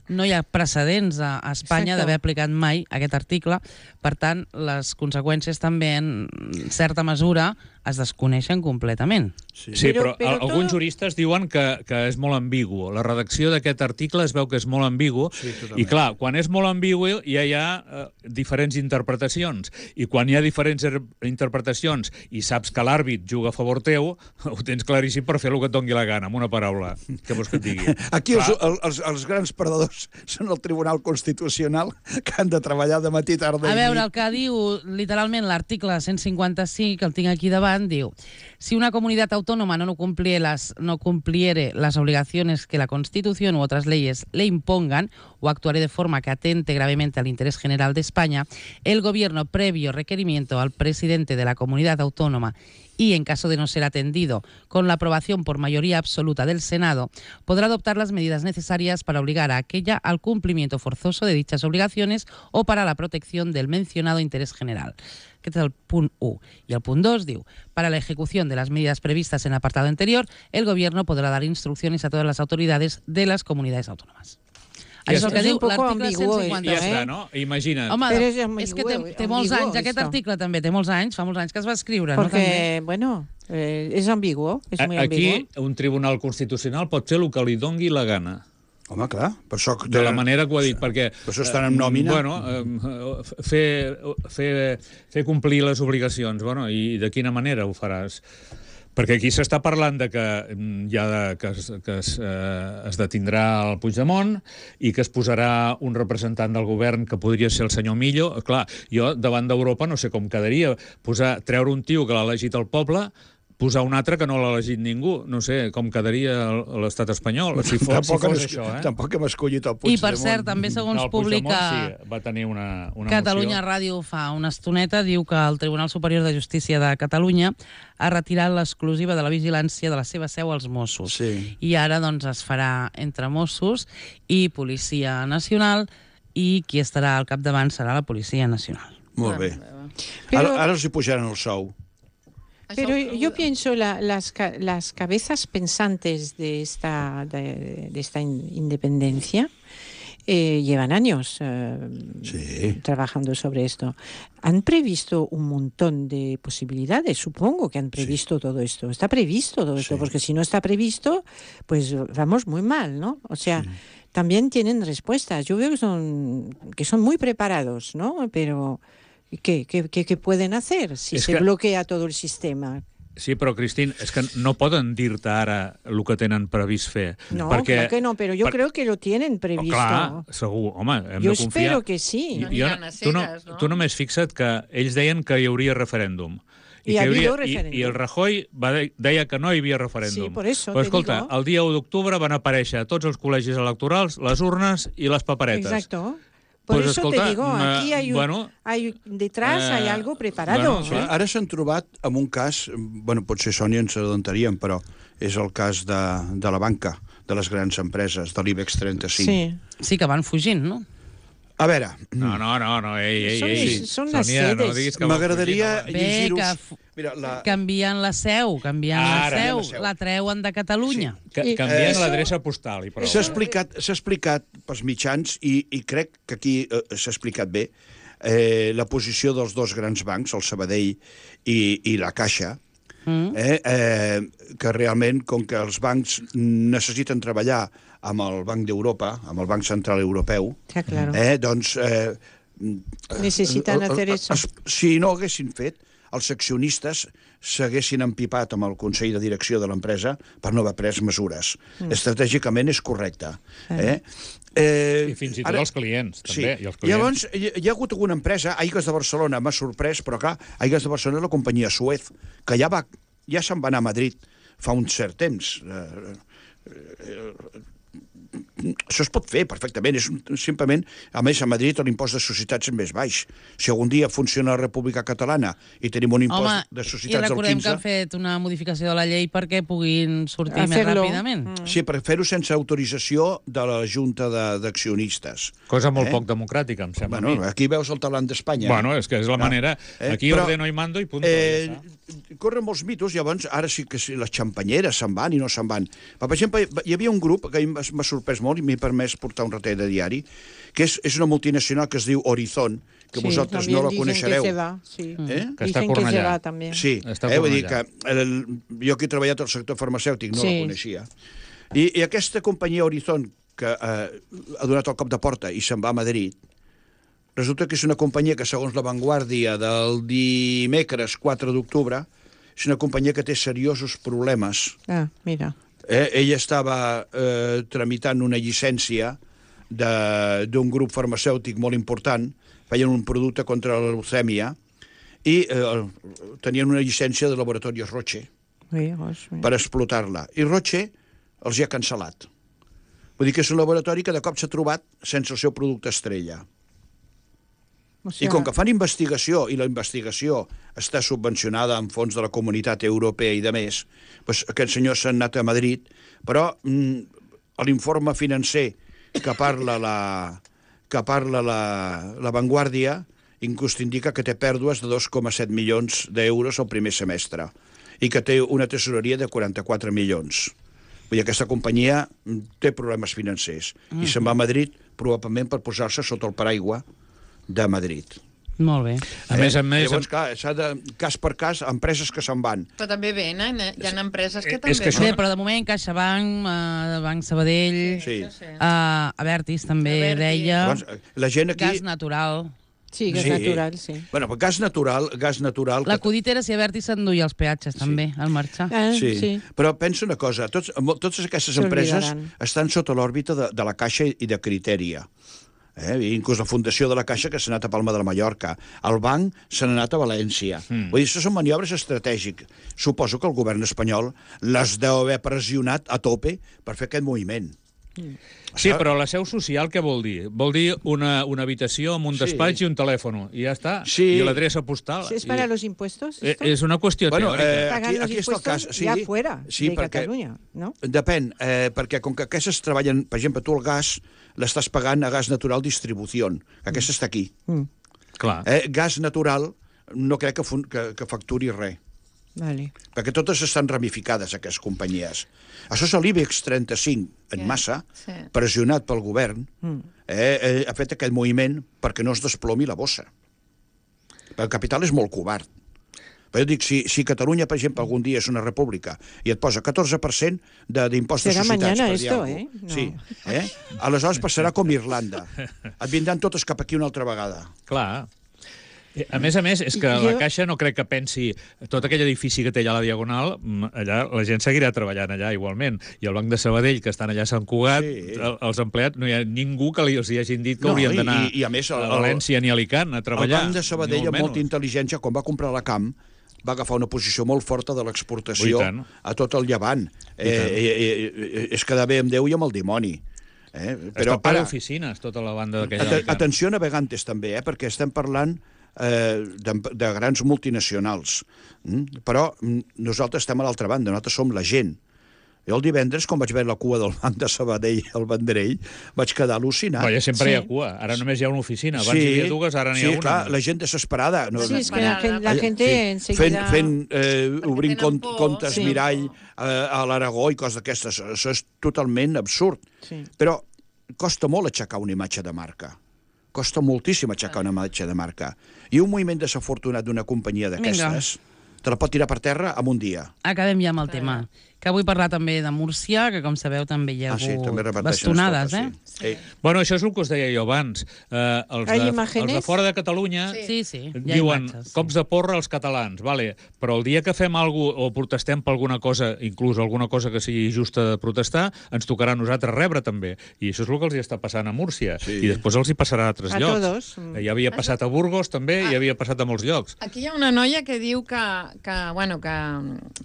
no hi ha precedents a, a Espanya Exacte. d'haver aplicat mai aquest article. Per tant, les conseqüències també, en certa mesura, es desconeixen completament. Sí. Sí, Però- però, però però alguns todo- juristes diuen que, que és molt ambigu. La redacció d'aquest article es veu que és molt ambigu, Sí, totalment. i clar, quan és molt ambigu ja hi ha eh, diferents interpretacions, i quan hi ha diferents er- interpretacions i saps que l'àrbit juga a favor teu, ho tens claríssim per fer el que et doni la gana, amb una paraula. Què vols que et digui? Aquí els, Clar. el, els, els grans perdedors són el Tribunal Constitucional, que han de treballar de matí, tarda A i veure, nit. el que diu literalment l'article cent cinquanta-cinc, que el tinc aquí davant, diu: si una comunidad autónoma no cumpliere las, no cumpliere las obligaciones que la Constitución u otras leyes le impongan o actuare de forma que atente gravemente al interés general de España, el Gobierno, previo requerimiento al presidente de la comunidad autónoma y, en caso de no ser atendido, con la aprobación por mayoría absoluta del Senado, podrá adoptar las medidas necesarias para obligar a aquella al cumplimiento forzoso de dichas obligaciones o para la protección del mencionado interés general. Aquest és el punt u. I el punt dos diu: para la ejecución de las medidas previstas en el apartado anterior, el Gobierno podrá dar instrucciones a todas las autoridades de las comunidades autónomas. Ja Això és el està. que És diu un poco l'article ambiguo, I cent ja cinquanta. està, no? Imagina't. Home, Però és és que té, ambiguo, té molts ambiguo anys, aquest esto. article també té molts anys, fa molts anys que es va escriure, no? Porque, També. bueno, eh, es ambiguo, es muy Aquí ambiguo. un tribunal constitucional pot fer el que li dongui la gana. Home, clar, per això... De la manera que ho ha dit, perquè... Per això estan en nòmina. Bueno, eh, fer, fer, fer complir les obligacions, bueno, i de quina manera ho faràs? Perquè aquí s'està parlant de que mm, ja de, que, es, que es, eh, es detindrà el Puigdemont i que es posarà un representant del govern que podria ser el senyor Millo. Clar, jo davant d'Europa no sé com quedaria. Posar, treure un tio que l'ha elegit el poble, posar un altre que no l'ha elegit ningú. No sé com quedaria l'estat espanyol, si fos, si Tampoc, fos hem, això, eh? tampoc hem escollit el I, Puigdemont. per cert, també segons No, el publica Puigdemont sí, va tenir una, una Catalunya moció. Ràdio fa una estoneta, diu que el Tribunal Superior de Justícia de Catalunya ha retirat l'exclusiva de la vigilància de la seva seu als Mossos. Sí. I ara doncs es farà entre Mossos i Policia Nacional, i qui estarà al capdavant serà la Policia Nacional. Molt bé. Pero- Ara, ara els hi pujaran el sou. Pero yo pienso la, las, ca- las cabezas pensantes de esta, de, de esta in- independencia eh, llevan años eh, sí. trabajando sobre esto. Han previsto un montón de posibilidades, supongo que han previsto sí. todo esto. Está previsto todo esto, sí. porque si no está previsto, pues vamos muy mal, ¿no? O sea, sí. también tienen respuestas. Yo veo que son, que son muy preparados, ¿no? Pero ¿qué, qué, qué, qué pueden hacer si es se que... bloquea todo el sistema? Sí, però, Cristín, és que no poden dir-te ara el que tenen previst fer. No, perquè... claro que no, pero yo per... creo que lo tienen previsto. Oh, clar, segur. Home, hem yo de confiar. espero que sí. No jo, tu, no, no? tu només fixa't que ells deien que hi hauria referèndum. I, I, ha hauria, referèndum. i, I el Rajoy va de, deia que no hi havia referèndum. Sí, por eso Però, te escolta, digo. el dia u d'octubre van aparèixer a tots els col·legis electorals les urnes i les paperetes. Exacto. Por pues, eso escolta, te digo, aquí hay, un, bueno, hay detrás eh, hay algo preparado. Bueno, sí. ¿eh? Ara s'han trobat amb un cas, bueno, potser Sònia ens adontaríem, però és el cas de, de la banca, de les grans empreses, de l'IBEX trenta-cinc. Sí. Sí, que van fugint, no? A veure... No, no, no, no ei, ei, Són, ei. són les Sònia, sedes. no diguis que m'agradaria no. llegir-vos... que Mira, la... canvien la seu, canvien Ara, la seu, la seu. la treuen de Catalunya. Sí. Que, canvien Eh, l'adreça postal i prou. S'ha explicat, s'ha explicat pels mitjans i, i crec que aquí eh, s'ha explicat bé eh, la posició dels dos grans bancs, el Sabadell i, i la Caixa, mm. eh, eh, que realment, com que els bancs necessiten treballar amb el Banc d'Europa, amb el Banc Central Europeu, ja, claro. eh, doncs... Eh, necessitan hacer eso. Si no ho haguessin fet, els accionistes s'haguessin empipat amb el Consell de Direcció de l'empresa per no haver pres mesures. Mm. Estratègicament és correcte. Eh? Eh, I fins i tot ara, els clients, també. Sí. I els clients. Llavors, hi, hi ha hagut alguna empresa, Aigües de Barcelona, m'ha sorprès, però clar, Aigües de Barcelona és la companyia Suez, que ja, va, ja se'n va anar a Madrid fa un cert temps. Eh, eh, això es pot fer perfectament, és un, simplement, a més a Madrid l'impost de societats és més baix. Si algun dia funciona la República Catalana i tenim un impost Home, de societats del quinze... i recordem que han fet una modificació de la llei perquè puguin sortir més ràpidament. Mm. Sí, per fer-ho sense autorització de la Junta d'accionistes. Cosa molt eh? poc democràtica, em sembla. Bueno, aquí veus el talent d'Espanya. Bueno, és que és la manera... Eh? Aquí Però, ordeno i mando i punt. Eh, ja corren molts mitos, llavors ara sí que sí, les xampanyeres se'n van i no se'n van. Però, per exemple, hi havia un grup que m'ha sorprès molt i m'he permès portar un ratell de diari, que és, és una multinacional que es diu Horizon, que sí, vosaltres no la coneixereu. Que se va, sí. Eh? Que està a Cornellà. Sí, eh, vull dir que el, jo que he treballat al sector farmacèutic no sí. la coneixia. I, I aquesta companyia Horizon, que eh, ha donat el cop de porta i se'n va a Madrid, resulta que és una companyia que, segons La Vanguardia del dimecres quatre d'octubre, és una companyia que té seriosos problemes. Ah, mira. Eh, ella estava eh, tramitant una llicència d'un grup farmacèutic molt important, feien un producte contra la leucèmia, i eh, tenien una llicència de laboratori Roche sí, gosh, per explotar-la. I Roche els hi ha cancel·lat. Vull dir que és un laboratori que de cop s'ha trobat sense el seu producte estrella. O sigui... I com que fan investigació, i la investigació està subvencionada amb fons de la Comunitat Europea i de més, doncs aquests senyors s'han anat a Madrid, però mm, l'informe financer que parla la, que parla la, la Vanguardia inclús indica que té pèrdues de dos coma set milions d'euros al primer semestre i que té una tesoreria de quaranta-quatre milions. Vull dir, aquesta companyia té problemes financers mm. i se'n va a Madrid probablement per posar-se sota el paraigua de Madrid. Molt bé. A més a més... Llavors, clar, s'ha de, cas per cas, empreses que se'n van. Però també venen, eh? Hi ha empreses que és també... que això... Bé, però de moment CaixaBank, uh, Banc Sabadell, Sí. uh, Abertis també Abertis. deia, Llavors, la gent aquí... gas natural. Sí, gas Sí. natural, sí. Bueno, però gas natural, gas natural... que- L'acudit era si Abertis s'enduia els peatges també, al marxar. Ah, Sí. sí. Però pensa una cosa, tots, mo- totes aquestes Se empreses olvidaran. estan sota l'òrbita de, de la Caixa i de Criteria. Eh? I inclús la fundació de la Caixa, que s'ha anat a Palma de la Mallorca. El banc se n'ha anat a València. Mm. Vull dir, això són maniobres estratègiques. Suposo que el govern espanyol les deu haver pressionat a tope per fer aquest moviment. Mm. Sí, però la seu social què vol dir? Vol dir una, una habitació amb un Sí. despatx i un telèfon, i ja està. Sí. I l'adreça postal. ¿Es para I... los impuestos Eh, esto? És una qüestió Bueno, teòrica. eh, Pagan aquí- los aquí està el impuestos cas, sí. ya fuera Sí, de perquè- Catalunya, ¿no? Depèn, eh, perquè com que aquestes treballen, per exemple, tu el gas l'estàs pagant a Gas Natural Distribució, que aquesta està aquí. Mm. Clar. Eh, gas natural no crec que, fun que, que facturi res. Vale. Perquè totes estan ramificades, aquestes companyies. Això és l'IBEX trenta-cinc en massa, sí. pressionat pel govern, mm. eh, eh, ha fet aquest moviment perquè no es desplomi la bossa. El capital és molt covard. Però jo dic, si, si Catalunya, per exemple, algun dia és una república i et posa catorze per cent d'impost de societats, per dir alguna cosa. Eh? No. Sí, eh? Aleshores passarà com Irlanda. Et vindran totes cap aquí una altra vegada. Clar. A més a més, és que la Caixa no crec que pensi tot aquell edifici que té allà a la Diagonal, allà la gent seguirà treballant allà igualment. I el Banc de Sabadell, que estan allà a Sant Cugat, sí. els empleats, no hi ha ningú que els hi hagin dit que no, haurien d'anar a València ni a Alicant a treballar. El Banc de Sabadell, amb molta intel·ligència, quan va comprar la Camp, va agafar una posició molt forta de l'exportació a tot el Llevant. Eh, eh, eh, és quedar bé amb Déu i amb el dimoni. Eh? Però està ple d'oficines, tota la banda d'aquella... At atenció a navegantes, també, eh? perquè estem parlant eh, de, de grans multinacionals. Mm? Però nosaltres estem a l'altra banda, nosaltres som la gent. Jo el divendres, quan vaig veure la cua del Banc de Sabadell al Vendrell, vaig quedar al·lucinat. Però ja sempre sí. hi ha cua. Ara només hi ha una oficina. Abans sí. hi havia dues, ara n'hi sí, ha una. Sí, clar, la gent desesperada. No, sí, és que la, la gent sí. enseguida... Fent, fent eh, obrint cont, comptes sí. mirall eh, a l'Aragó i coses d'aquestes. Això és totalment absurd. Sí. Però costa molt aixecar una imatge de marca. Costa moltíssim aixecar una imatge de marca. I un moviment desafortunat d'una companyia d'aquestes te la pot tirar per terra en un dia. Acabem ja amb el tema. Que vull parlar també de Múrcia, que com sabeu també hi ha hagut ah, sí, bastonades, eh? Sí. Sí. Bueno, això és el que us deia jo abans. Eh, els, de, els de fora de Catalunya sí. Sí, sí. diuen imatges, sí. cops de porra als catalans, vale. Però el dia que fem alguna cosa o protestem per alguna cosa, inclús alguna cosa que sigui justa de protestar, ens tocarà a nosaltres rebre també. I això és el que els hi està passant a Múrcia. Sí. I després els hi passarà a altres a llocs. Todos. Ja havia passat a Burgos també, ah. i havia passat a molts llocs. Aquí hi ha una noia que diu que, que, bueno, que,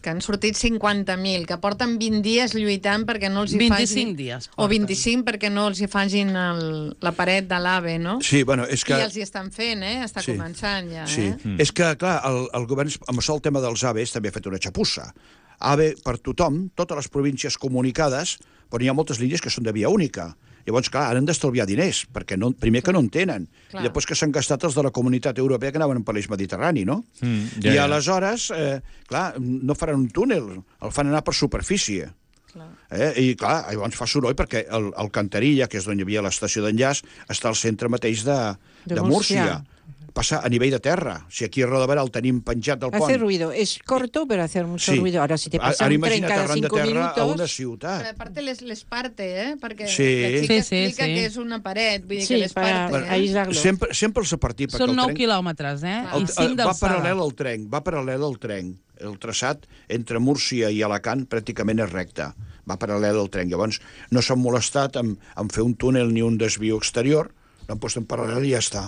que han sortit cinquanta mil, que porten vint dies lluitant perquè no els hi vint-i-cinc dies. O vint-i-cinc perquè no els hi facin el, la paret de l'AVE, no? Sí, bueno, és que... I els hi estan fent, eh? Està sí. començant ja, sí. eh? Mm. És que, clar, el, el govern, amb això el tema dels AVEs, també ha fet una xapussa. AVE per tothom, totes les províncies comunicades, però hi ha moltes línies que són de via única. Llavors, clar, han d'estalviar diners, perquè no, primer que no en tenen, clar. I després que s'han gastat els de la Comunitat Europea que anaven per l'eix mediterrani, no? Mm, ja, I ja. aleshores, eh, clar, no faran un túnel, el fan anar per superfície. Eh? I clar, llavors fa soroll perquè el, el Cantarilla, que és on hi havia l'estació d'enllaç, està al centre mateix de, de, de Múrcia. Passa a nivell de terra. Si aquí a Rodaberà el tenim penjat del pont... Hace ruido. Es corto, pero hace mucho sí. ruido. Ahora, si te pasa un tren cada cinco minutos... a una ciutat. Però, a part, les, les parte, eh? Perquè sí. la xica sí, explica sí, sí. que és una paret. Vull dir sí, que les parte, para eh? aislar-lo. Sempre, sempre els ha partit... Són nou quilòmetres, eh? El, I cinc va d'alçada. paral·lel al tren, va paral·lel al tren. El traçat entre Múrcia i Alacant pràcticament és recte. Va paral·lel al tren. Llavors, no s'han molestat en, en fer un túnel ni un desvió exterior, l'han posat en paral·lel i ja està.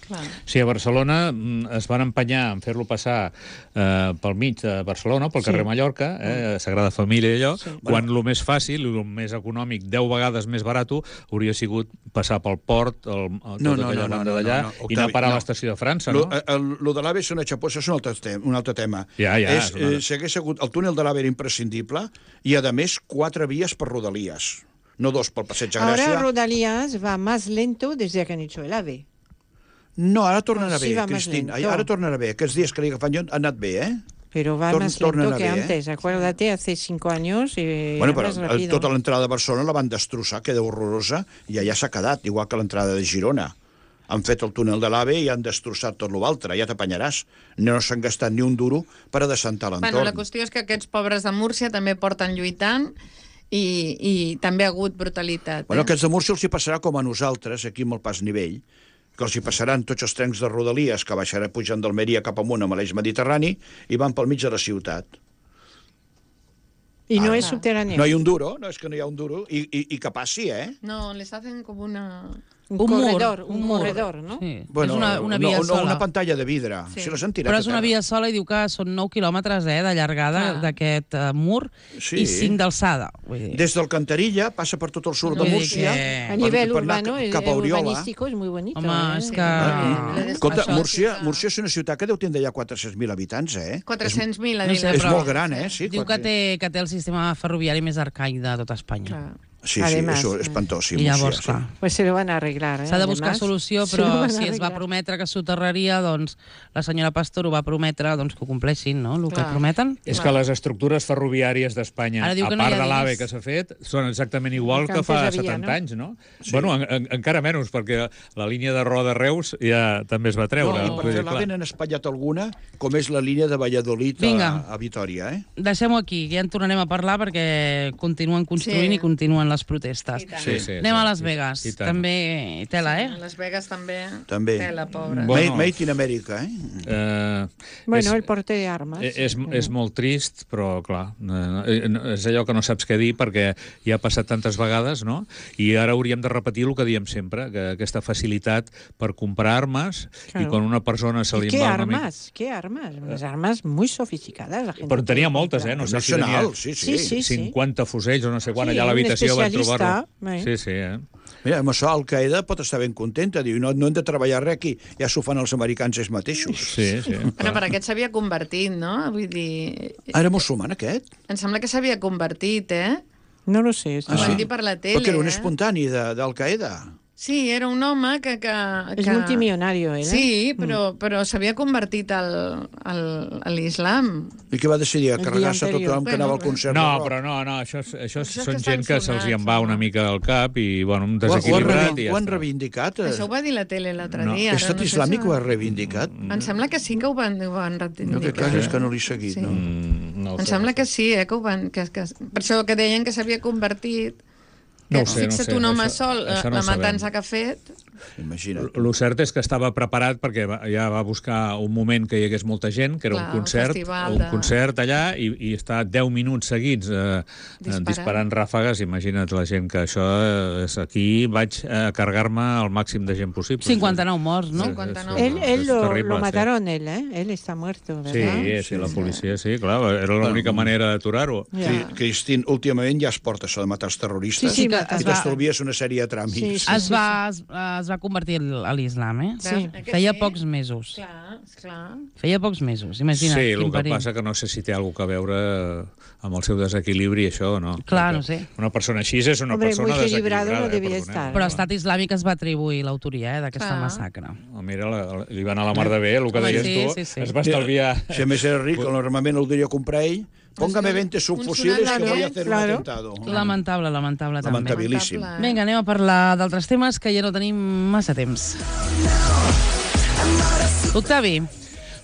Clar. Sí, a Barcelona es van empenyar en fer-lo passar eh, pel mig de Barcelona, pel carrer sí. Mallorca, eh, Sagrada Família i allò, sí. quan el més fàcil, el més econòmic, deu vegades més barat, hauria sigut passar pel port, el, el, no, tota no, aquella no, banda no, d'allà, no, no, i anar a parar no. a l'estació de França, lo, no? El, el de l'AVE és una xapossa, és un altre, tema, un altre tema. Ja, ja. És, eh, si hagués hagut, el túnel de l'AVE era imprescindible i, a més, quatre vies per Rodalies. No dos pel Passeig de Gràcia. Ahora Rodalies va más lento desde que han hecho el AVE. No, ara tornarà sí, bé, Cristín. Ara tornarà bé. Aquests dies que li agafant jo han anat bé, eh? Pero va Torn, más lento que antes. Eh? Acuérdate, hace cinco años y bueno, però tota l'entrada de Barcelona la van destrossar, queda horrorosa, i allà s'ha quedat, igual que l'entrada de Girona. Han fet el túnel de l'AVE i han destrossat tot l'altre, ja t'apanyaràs. No s'han gastat ni un duro per a descentar l'entorn. Bueno, la qüestió és que aquests pobres de Múrcia també porten lluitant i, i també ha hagut brutalitat. Bueno, eh? aquests de Múrcia els hi passarà com a nosaltres, aquí amb el pas nivell, que els hi passaran tots els trens de Rodalies que baixaran pujant d'Almeria cap amunt amb l'eix mediterrani i van pel mig de la ciutat. I no ah, és subterrani. No hi ha un duro, no és que no hi ha un duro, i, i, i que passi, eh? No, les hacen com una... Un, un corredor, mur, un, un corredor, ¿no? Sí. Bueno, és una, una via no, sola. No, una pantalla de vidre. Sí. Si les han tirat Però és una via sola i diu que són nou quilòmetres eh, de llargada ah. d'aquest uh, mur sí. i cinc d'alçada. Des del Cantarilla passa per tot el sud no, de Múrcia. Que... A nivell per, urbano, cap a urbanístico és molt bonito. Home, eh? és que... Ah. Escolta, Múrcia, Múrcia és una ciutat que deu tindre ja quatre-cents mil habitants, eh? quatre-cents mil, no sé, és molt gran, eh? Sí, diu que té, que té el sistema ferroviari més arcaic de tot Espanya. Clar. Sí, Además, sí, eso es espantosísimo. I llavors, sí, sí. clar, Pues se lo van a arreglar. ¿eh? s'ha de buscar Además, solució, se lo però van a si es va arreglar. prometre que soterraria, doncs la senyora Pastor ho va prometre, doncs que ho compleixin, no?, el que Clar. prometen. És que les estructures ferroviàries d'Espanya, Ara diu a que no hi part ha de l'AVE diners. que s'ha fet, són exactament igual Que que antes fa havia, setanta no? anys, no? Sí. Bueno, en, en, encara menys, perquè la línia de Roda Reus ja també es va treure. No, i per Vull dir, fer l'AVE clar. n'han espatllat alguna, com és la línia de Valladolid a, Vinga. a Vitoria, eh? Deixem-ho aquí, que ja en tornarem a parlar perquè continuen construint Sí. i continuen les protestes. I tant. Sí, sí, Anem sí, a Las i- Vegas, i tant. també tela, eh? Las Vegas també. També. Tela, pobra. Bueno. Made, made in America, eh? Eh, Bueno, és- el porte de armas. Eh, És, és molt trist, però, clar, eh, eh, és allò que no saps què dir perquè ja ha passat tantes vegades, no? I ara hauríem de repetir el que diem sempre, que aquesta facilitat per comprar armes, Claro. i quan una persona se li ¿Y qué va una mica... armas? ¿Qué armas? Unas armas muy sofisticadas. La gente Però en tenia puede moltes, eh? comprar. No sé si tenia Nacional, sí, sí. Sí, sí. cinquanta fusells o no sé quan, Sí, allà a un l'habitació van especialista, trobar-lo. eh? Sí, sí, eh? Mira, amb això Al-Qaeda pot estar ben contenta, diu, no, no hem de treballar res aquí, ja s'ho fan els americans ells mateixos. Sí, sí. Bueno, clar. però aquest s'havia convertit, no? Vull dir... Ah, era musulman, aquest? Em sembla que s'havia convertit, eh? No lo sé. Ho esto van sí. dir per la tele, Perquè era un eh? espontani de- d'Al-Qaeda. Sí, era un home que... que, Es que... multimillonario, ¿eh? Sí, però, però s'havia convertit al, al, a l'islam. I que va decidir a El dia carregar-se anterior. tothom que Bueno, anava al concert No, de rock. però no, no, això, és- això, Això és són que gent estan que se'ls hi en sonats, va home. una mica del cap i, bueno, un Ho, ho, han desequilibrat reivin- i ja ho han està. reivindicat? eh? Això ho va dir la tele l'altre No. dia. ara L'estat no sé islàmic si- ho ha reivindicat? Em sembla que sí que ho van, ho van No, reivindicar. que cas és que no l'he seguit, Sí. no? Mm, no ho Em sé, sembla no que sí, eh, que ho van... Que, que, per això que deien que s'havia convertit... No Que, ho sé, no ho fixa't sé, un home això- sol, això no la ho sabem. matança que ha fet... Imagina't. El cert és que estava preparat perquè va- ja va buscar un moment que hi hagués molta gent, que era Clar, un un concert, festival un de- concert allà, i, i està deu minuts seguits eh, Disparant. disparant ràfegues. Imagina't la gent que això eh, és aquí, vaig a carregar-me el màxim de gent possible. cinquanta-nou morts, no? cinquanta-nou. Él, él És lo, terrible, lo sí. mataron, él, ¿eh? Él está muerto, Sí, ¿verdad? sí, la policia, sí, clar, era l'única manera d'aturar-ho. Ja. Cri- Cristín, últimament ja es porta això de matar els terroristes Sí, sí, i que es va- t'estalvies una sèrie de tràmits. Sí, sí. Es va, es, es va convertir a l'islam, eh? Sí. Eh que Feia sí? pocs mesos. Clar, esclar. Feia pocs mesos, imagina't. Sí, el quin que perill. passa que no sé si té alguna cosa a veure amb el seu desequilibri, això, o no? Clar, Perquè no sé. Una persona així és una Hombre, persona muy equilibrado desequilibrada. no eh, debía perdoneu. estar. Però l'Estat Islàmic es va atribuir l'autoria eh, d'aquesta Clar. massacre. Oh, mira, la, la, li va anar la mar de bé, el que Home, deies sí, tu. sí, sí. Es va estalviar... Si a més era ric, normalment el diria comprar ell. Póngame veinte subfusiles que sonat, voy a eh? hacer Claro. un atentado. Lamentable, lamentable, també. Lamentabilíssim. Lamentable. Vinga, anem a parlar d'altres temes que ja no tenim massa temps. Octavi,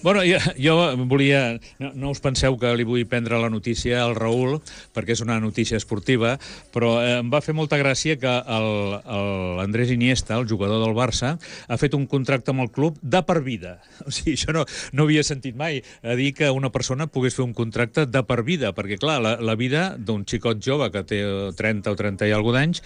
Bueno, jo, jo volia... No, no us penseu que li vull prendre la notícia al Raül, perquè és una notícia esportiva, però eh, em va fer molta gràcia que el- el- l'Andrés Iniesta, el jugador del Barça, ha fet un contracte amb el club de per vida. O sigui, això no, no havia sentit mai, a dir que una persona pogués fer un contracte de per vida, perquè, clar, la, la vida d'un xicot jove que té trenta o trenta i alguna d'anys,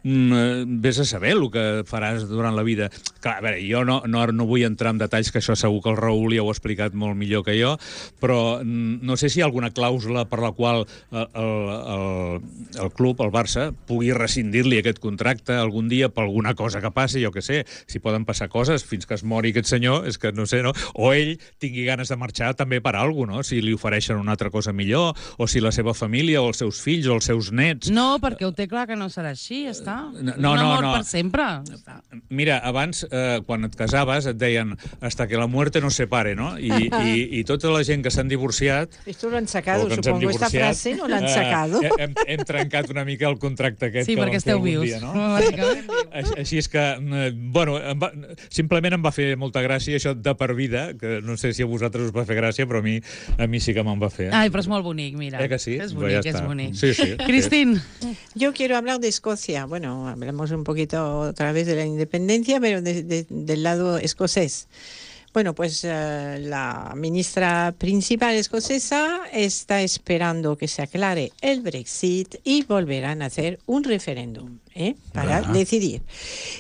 mm, vés a saber el que faràs durant la vida. Clar, a veure, jo no, no, no vull entrar en detalls, que això segur que el Raül ja ho ha explicat molt millor que jo, però mm, no sé si hi ha alguna clàusula per la qual el, el, el, el club, el Barça, pugui rescindir-li aquest contracte algun dia per alguna cosa que passi, jo que sé, si poden passar coses fins que es mori aquest senyor, és que no sé, no? O ell tingui ganes de marxar també per alguna cosa, no? Si li ofereixen una altra cosa millor, o si la seva família, o els seus fills, o els seus nets... no, perquè ho té clar que no serà així, ja està. No, Un no, amor no. per sempre. Ja està. Mira, abans, eh, quan et casaves, et deien hasta que la muerte nos separe, no? I, i, i tota la gent que s'han divorciat... Esto lo han sacado, o que ens hem supongo. Esta divorciat, frase no la han eh, sacado. hem, hem trencat una mica el contracte aquest Sí, que perquè vam fer esteu algun vius. dia, no? Bàsicament. Així, així és que, eh, bueno, em va, simplement em va fer molta gràcia això de per vida, que no sé si a vosaltres us va fer gràcia, però a mi, a mi sí que me'n va fer. Ai, però és molt bonic, mira. Eh que sí? És Pues bonic, ja és està. bonic. Sí, sí. Cristín, Yo quiero hablar de Escocia. Bueno, hablamos un poquito otra vez de la independencia, pero de- de- del lado escocés. Bueno, pues eh, la ministra principal escocesa está esperando que se aclare el Brexit y volverán a hacer un referéndum ¿eh? para Ajá. decidir.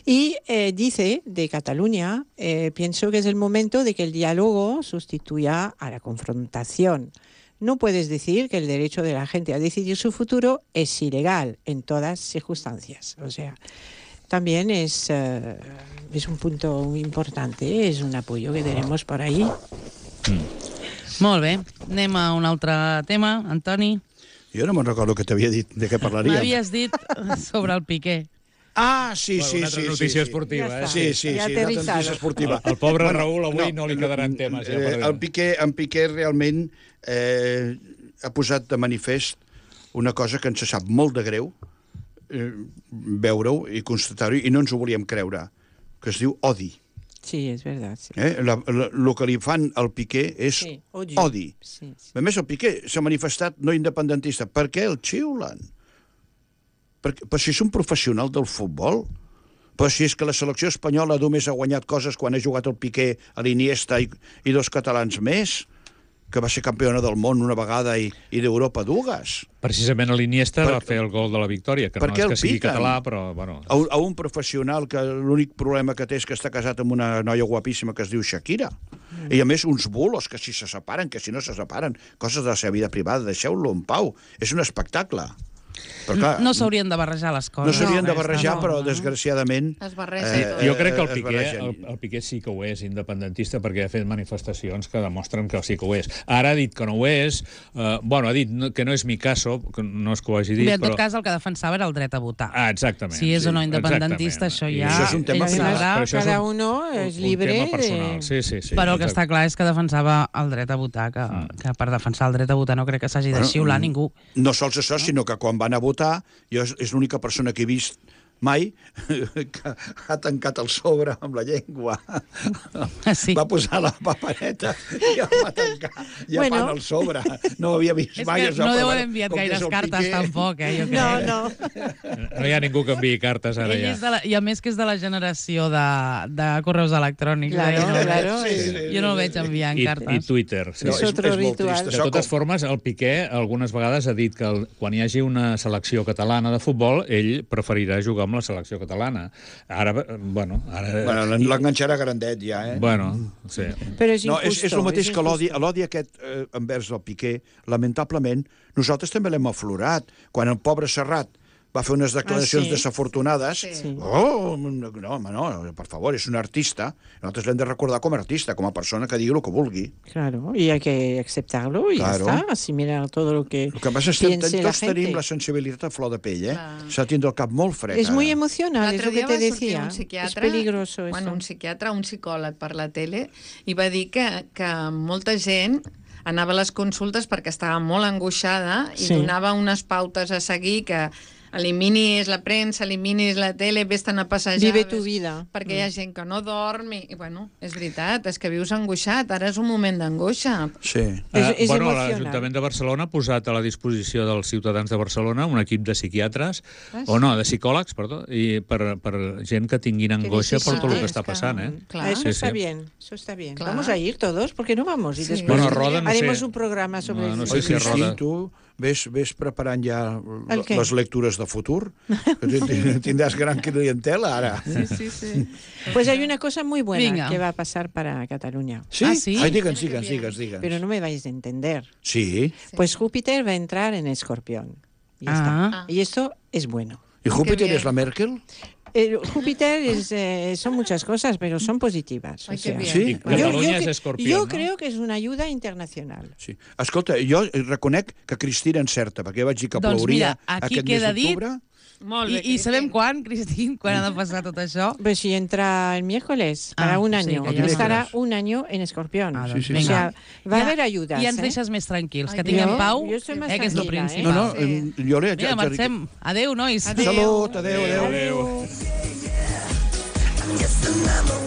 Y eh, dice de Cataluña, eh, pienso que es el momento de que el diálogo sustituya a la confrontación. No puedes decir que el derecho de la gente a decidir su futuro es ilegal en todas circunstancias. O sea, también es, eh, es un punto muy importante, es un apoyo que tenemos por ahí. molt bé. Anem a un altre tema. Antoni. Jo no me'n recordo que t'havia dit de què parlaríem. M'havies dit sobre el Piqué. Ah, sí, Bueno, sí, una sí. altra sí, notícia sí. esportiva, Ja eh? està. Sí, sí, Ja sí, té una risada. notícia esportiva. El, el pobre bueno, Raül avui no, no li quedaran temes. Ja, eh, el Piqué, en Piqué realment eh, ha posat de manifest una cosa que ens sap molt de greu eh, veure-ho i constatar-ho, i no ens ho volíem creure, que es diu odi. Sí, és veritat. Sí. Eh? La, la, el que li fan al Piqué és Sí, odi. odi. Sí, sí. A més, el Piqué s'ha manifestat no independentista. Per què el xiulen? Perquè, però si és un professional del futbol, però si és que la selecció espanyola només ha guanyat coses quan ha jugat el Piqué, a l'Iniesta i, i dos catalans més, que va ser campiona del món una vegada i, i d'Europa dues. Precisament a l'Iniesta Per- va fer el gol de la victòria, que Per no què és que el sigui piquen? català, però... Bueno, A, un- a un professional que l'únic problema que té és que està casat amb una noia guapíssima que es diu Shakira. Mm. I a més uns bulos, que si se separen, que si no se separen, coses de la seva vida privada, deixeu-lo en pau. És un espectacle. Però, clar, No s'haurien de barrejar les coses. no s'haurien de aquesta, barrejar, no, però no. desgraciadament... Es barreja Sí, tot. jo crec que el es Piqué, barregen. el, el Piqué sí que ho és independentista perquè ha fet manifestacions que demostren que sí que ho és. Ara ha dit que no ho és, eh, bueno, ha dit no- que no és mi caso, que no és que ho hagi dit, Bé, en tot però... cas, el que defensava era el dret a votar. Ah, exactament. Si és o no sí, independentista, exactament. això I ja... Això és un tema ell final. sabrà, Però això és Cada un- uno un- és libre Un tema de- personal, sí, sí. sí però el que exacte. està clar és que defensava el dret a votar, que, que per defensar el dret a votar no crec que s'hagi de xiular ningú. No sols això, sinó que quan van a votar, jo és, és l'única persona que he vist mai que ha tancat el sobre amb la llengua. Sí. Va posar la papereta i el va tancar llepant Bueno. el sobre. No ho havia vist És mai. que això, no però deuen bueno, enviat com que és gaires el cartes, Piqué- tampoc, eh, jo crec. No, no. No hi ha ningú que enviï cartes ara Ell ja. és de la, I a més que és de la generació de, de correus electrònics. Claro, eh? Jo no, claro. Sí, és- sí. jo no el veig enviant I, cartes. I Twitter. Sí. No, És és, otro és molt ritual. trist. De Això totes com- formes, el Piqué algunes vegades ha dit que el, quan hi hagi una selecció catalana de futbol, ell preferirà jugar amb la selecció catalana. Ara, eh, bueno... Ara, Bueno, l'enganxarà grandet ja, eh? bueno, sí. Però és No, injusto. és, és el mateix que l'odi, injusto. l'odi aquest eh, envers el Piqué, lamentablement, nosaltres també l'hem aflorat. Quan el pobre Serrat va fer unes declaracions Ah, sí? desafortunades. Sí. Oh, no, home, no, per favor, és un artista. Nosaltres l'hem de recordar com a artista, com a persona que digui el que vulgui. Claro, y hay que aceptarlo y Claro. ya está, asimilar todo lo que El que passa és que piense la tots tenim gente. la sensibilitat a flor de pell, eh? Clar. S'ha de tindre el cap molt fred. Es muy ara. emocional, es L'altre lo que dia te va sortir decía. un Es psiquiatre, peligroso eso. bueno, un psiquiatre, un psicòleg per la tele, i va dir que, que molta gent anava a les consultes perquè estava molt angoixada i Sí. donava unes pautes a seguir que eliminis la premsa, eliminis la tele, vés-te'n a passejar. Vive tu vés- vida. Perquè hi ha gent que no dorm i, i, bueno, és veritat, és que vius angoixat, ara és un moment d'angoixa. Sí. És- Eh, és bueno, emocional. l'Ajuntament de Barcelona ha posat a la disposició dels ciutadans de Barcelona un equip de psiquiatres, Ah, o no, de psicòlegs, perdó, i per, per gent que tinguin angoixa per tot el que necessites està que- passant, eh? Clar. Eso Sí, está sí. bien, eso está bien. Claro. Vamos a ir todos, ¿por qué no vamos? Y Sí. después Bueno, Roda, no haremos sé. un programa sobre No, no el sé Oi, si a suicidio. Roda- Cristín, tu ves, ves preparant ja El què? les lectures de futur? Que ti- Tindràs gran clientela, ara. Sí, sí, sí. Pues hay una cosa muy buena Venga. que va a pasar para Cataluña, Sí? Ah, sí? Ai, digue'ns, digue'ns, digue'ns, digue'ns. pero no me vais a entender. Sí. Pues Júpiter va a entrar en Escorpión. Ya Ah. está. Y esto es bueno. ¿Y Júpiter bien. es la Merkel? Eh, Júpiter es, eh, son muchas cosas, pero son positivas. Ay, o qué sea. bien. Sí? I Yo, Catalunya yo és cre- escorpió, yo no? creo que es una ayuda internacional. Sí. Escolta, jo reconec que Cristina encerta, perquè jo vaig dir que Doncs plouria mira, aquí aquest mes queda dit- d'octubre. Molt I, bé, I sabem Cristín. quan, Cristín, quan ha de passar tot això? Pues si entra el miércoles, Ah, para un sí, año, que ya estará sabes. un año en Escorpión. Ah, Sí, doncs sí, O sí. sea, va a Ja- haver ayudas. Ja ens ¿eh? deixes més tranquils, que Ai, tinguem jo- pau, jo estoy más eh, que és lo tranquil·la, eh? No, principal. no, Sí. em, jo li... Mira, marxem. Adéu, nois. Adéu. Salut, adéu, adéu. Adéu. I'm just another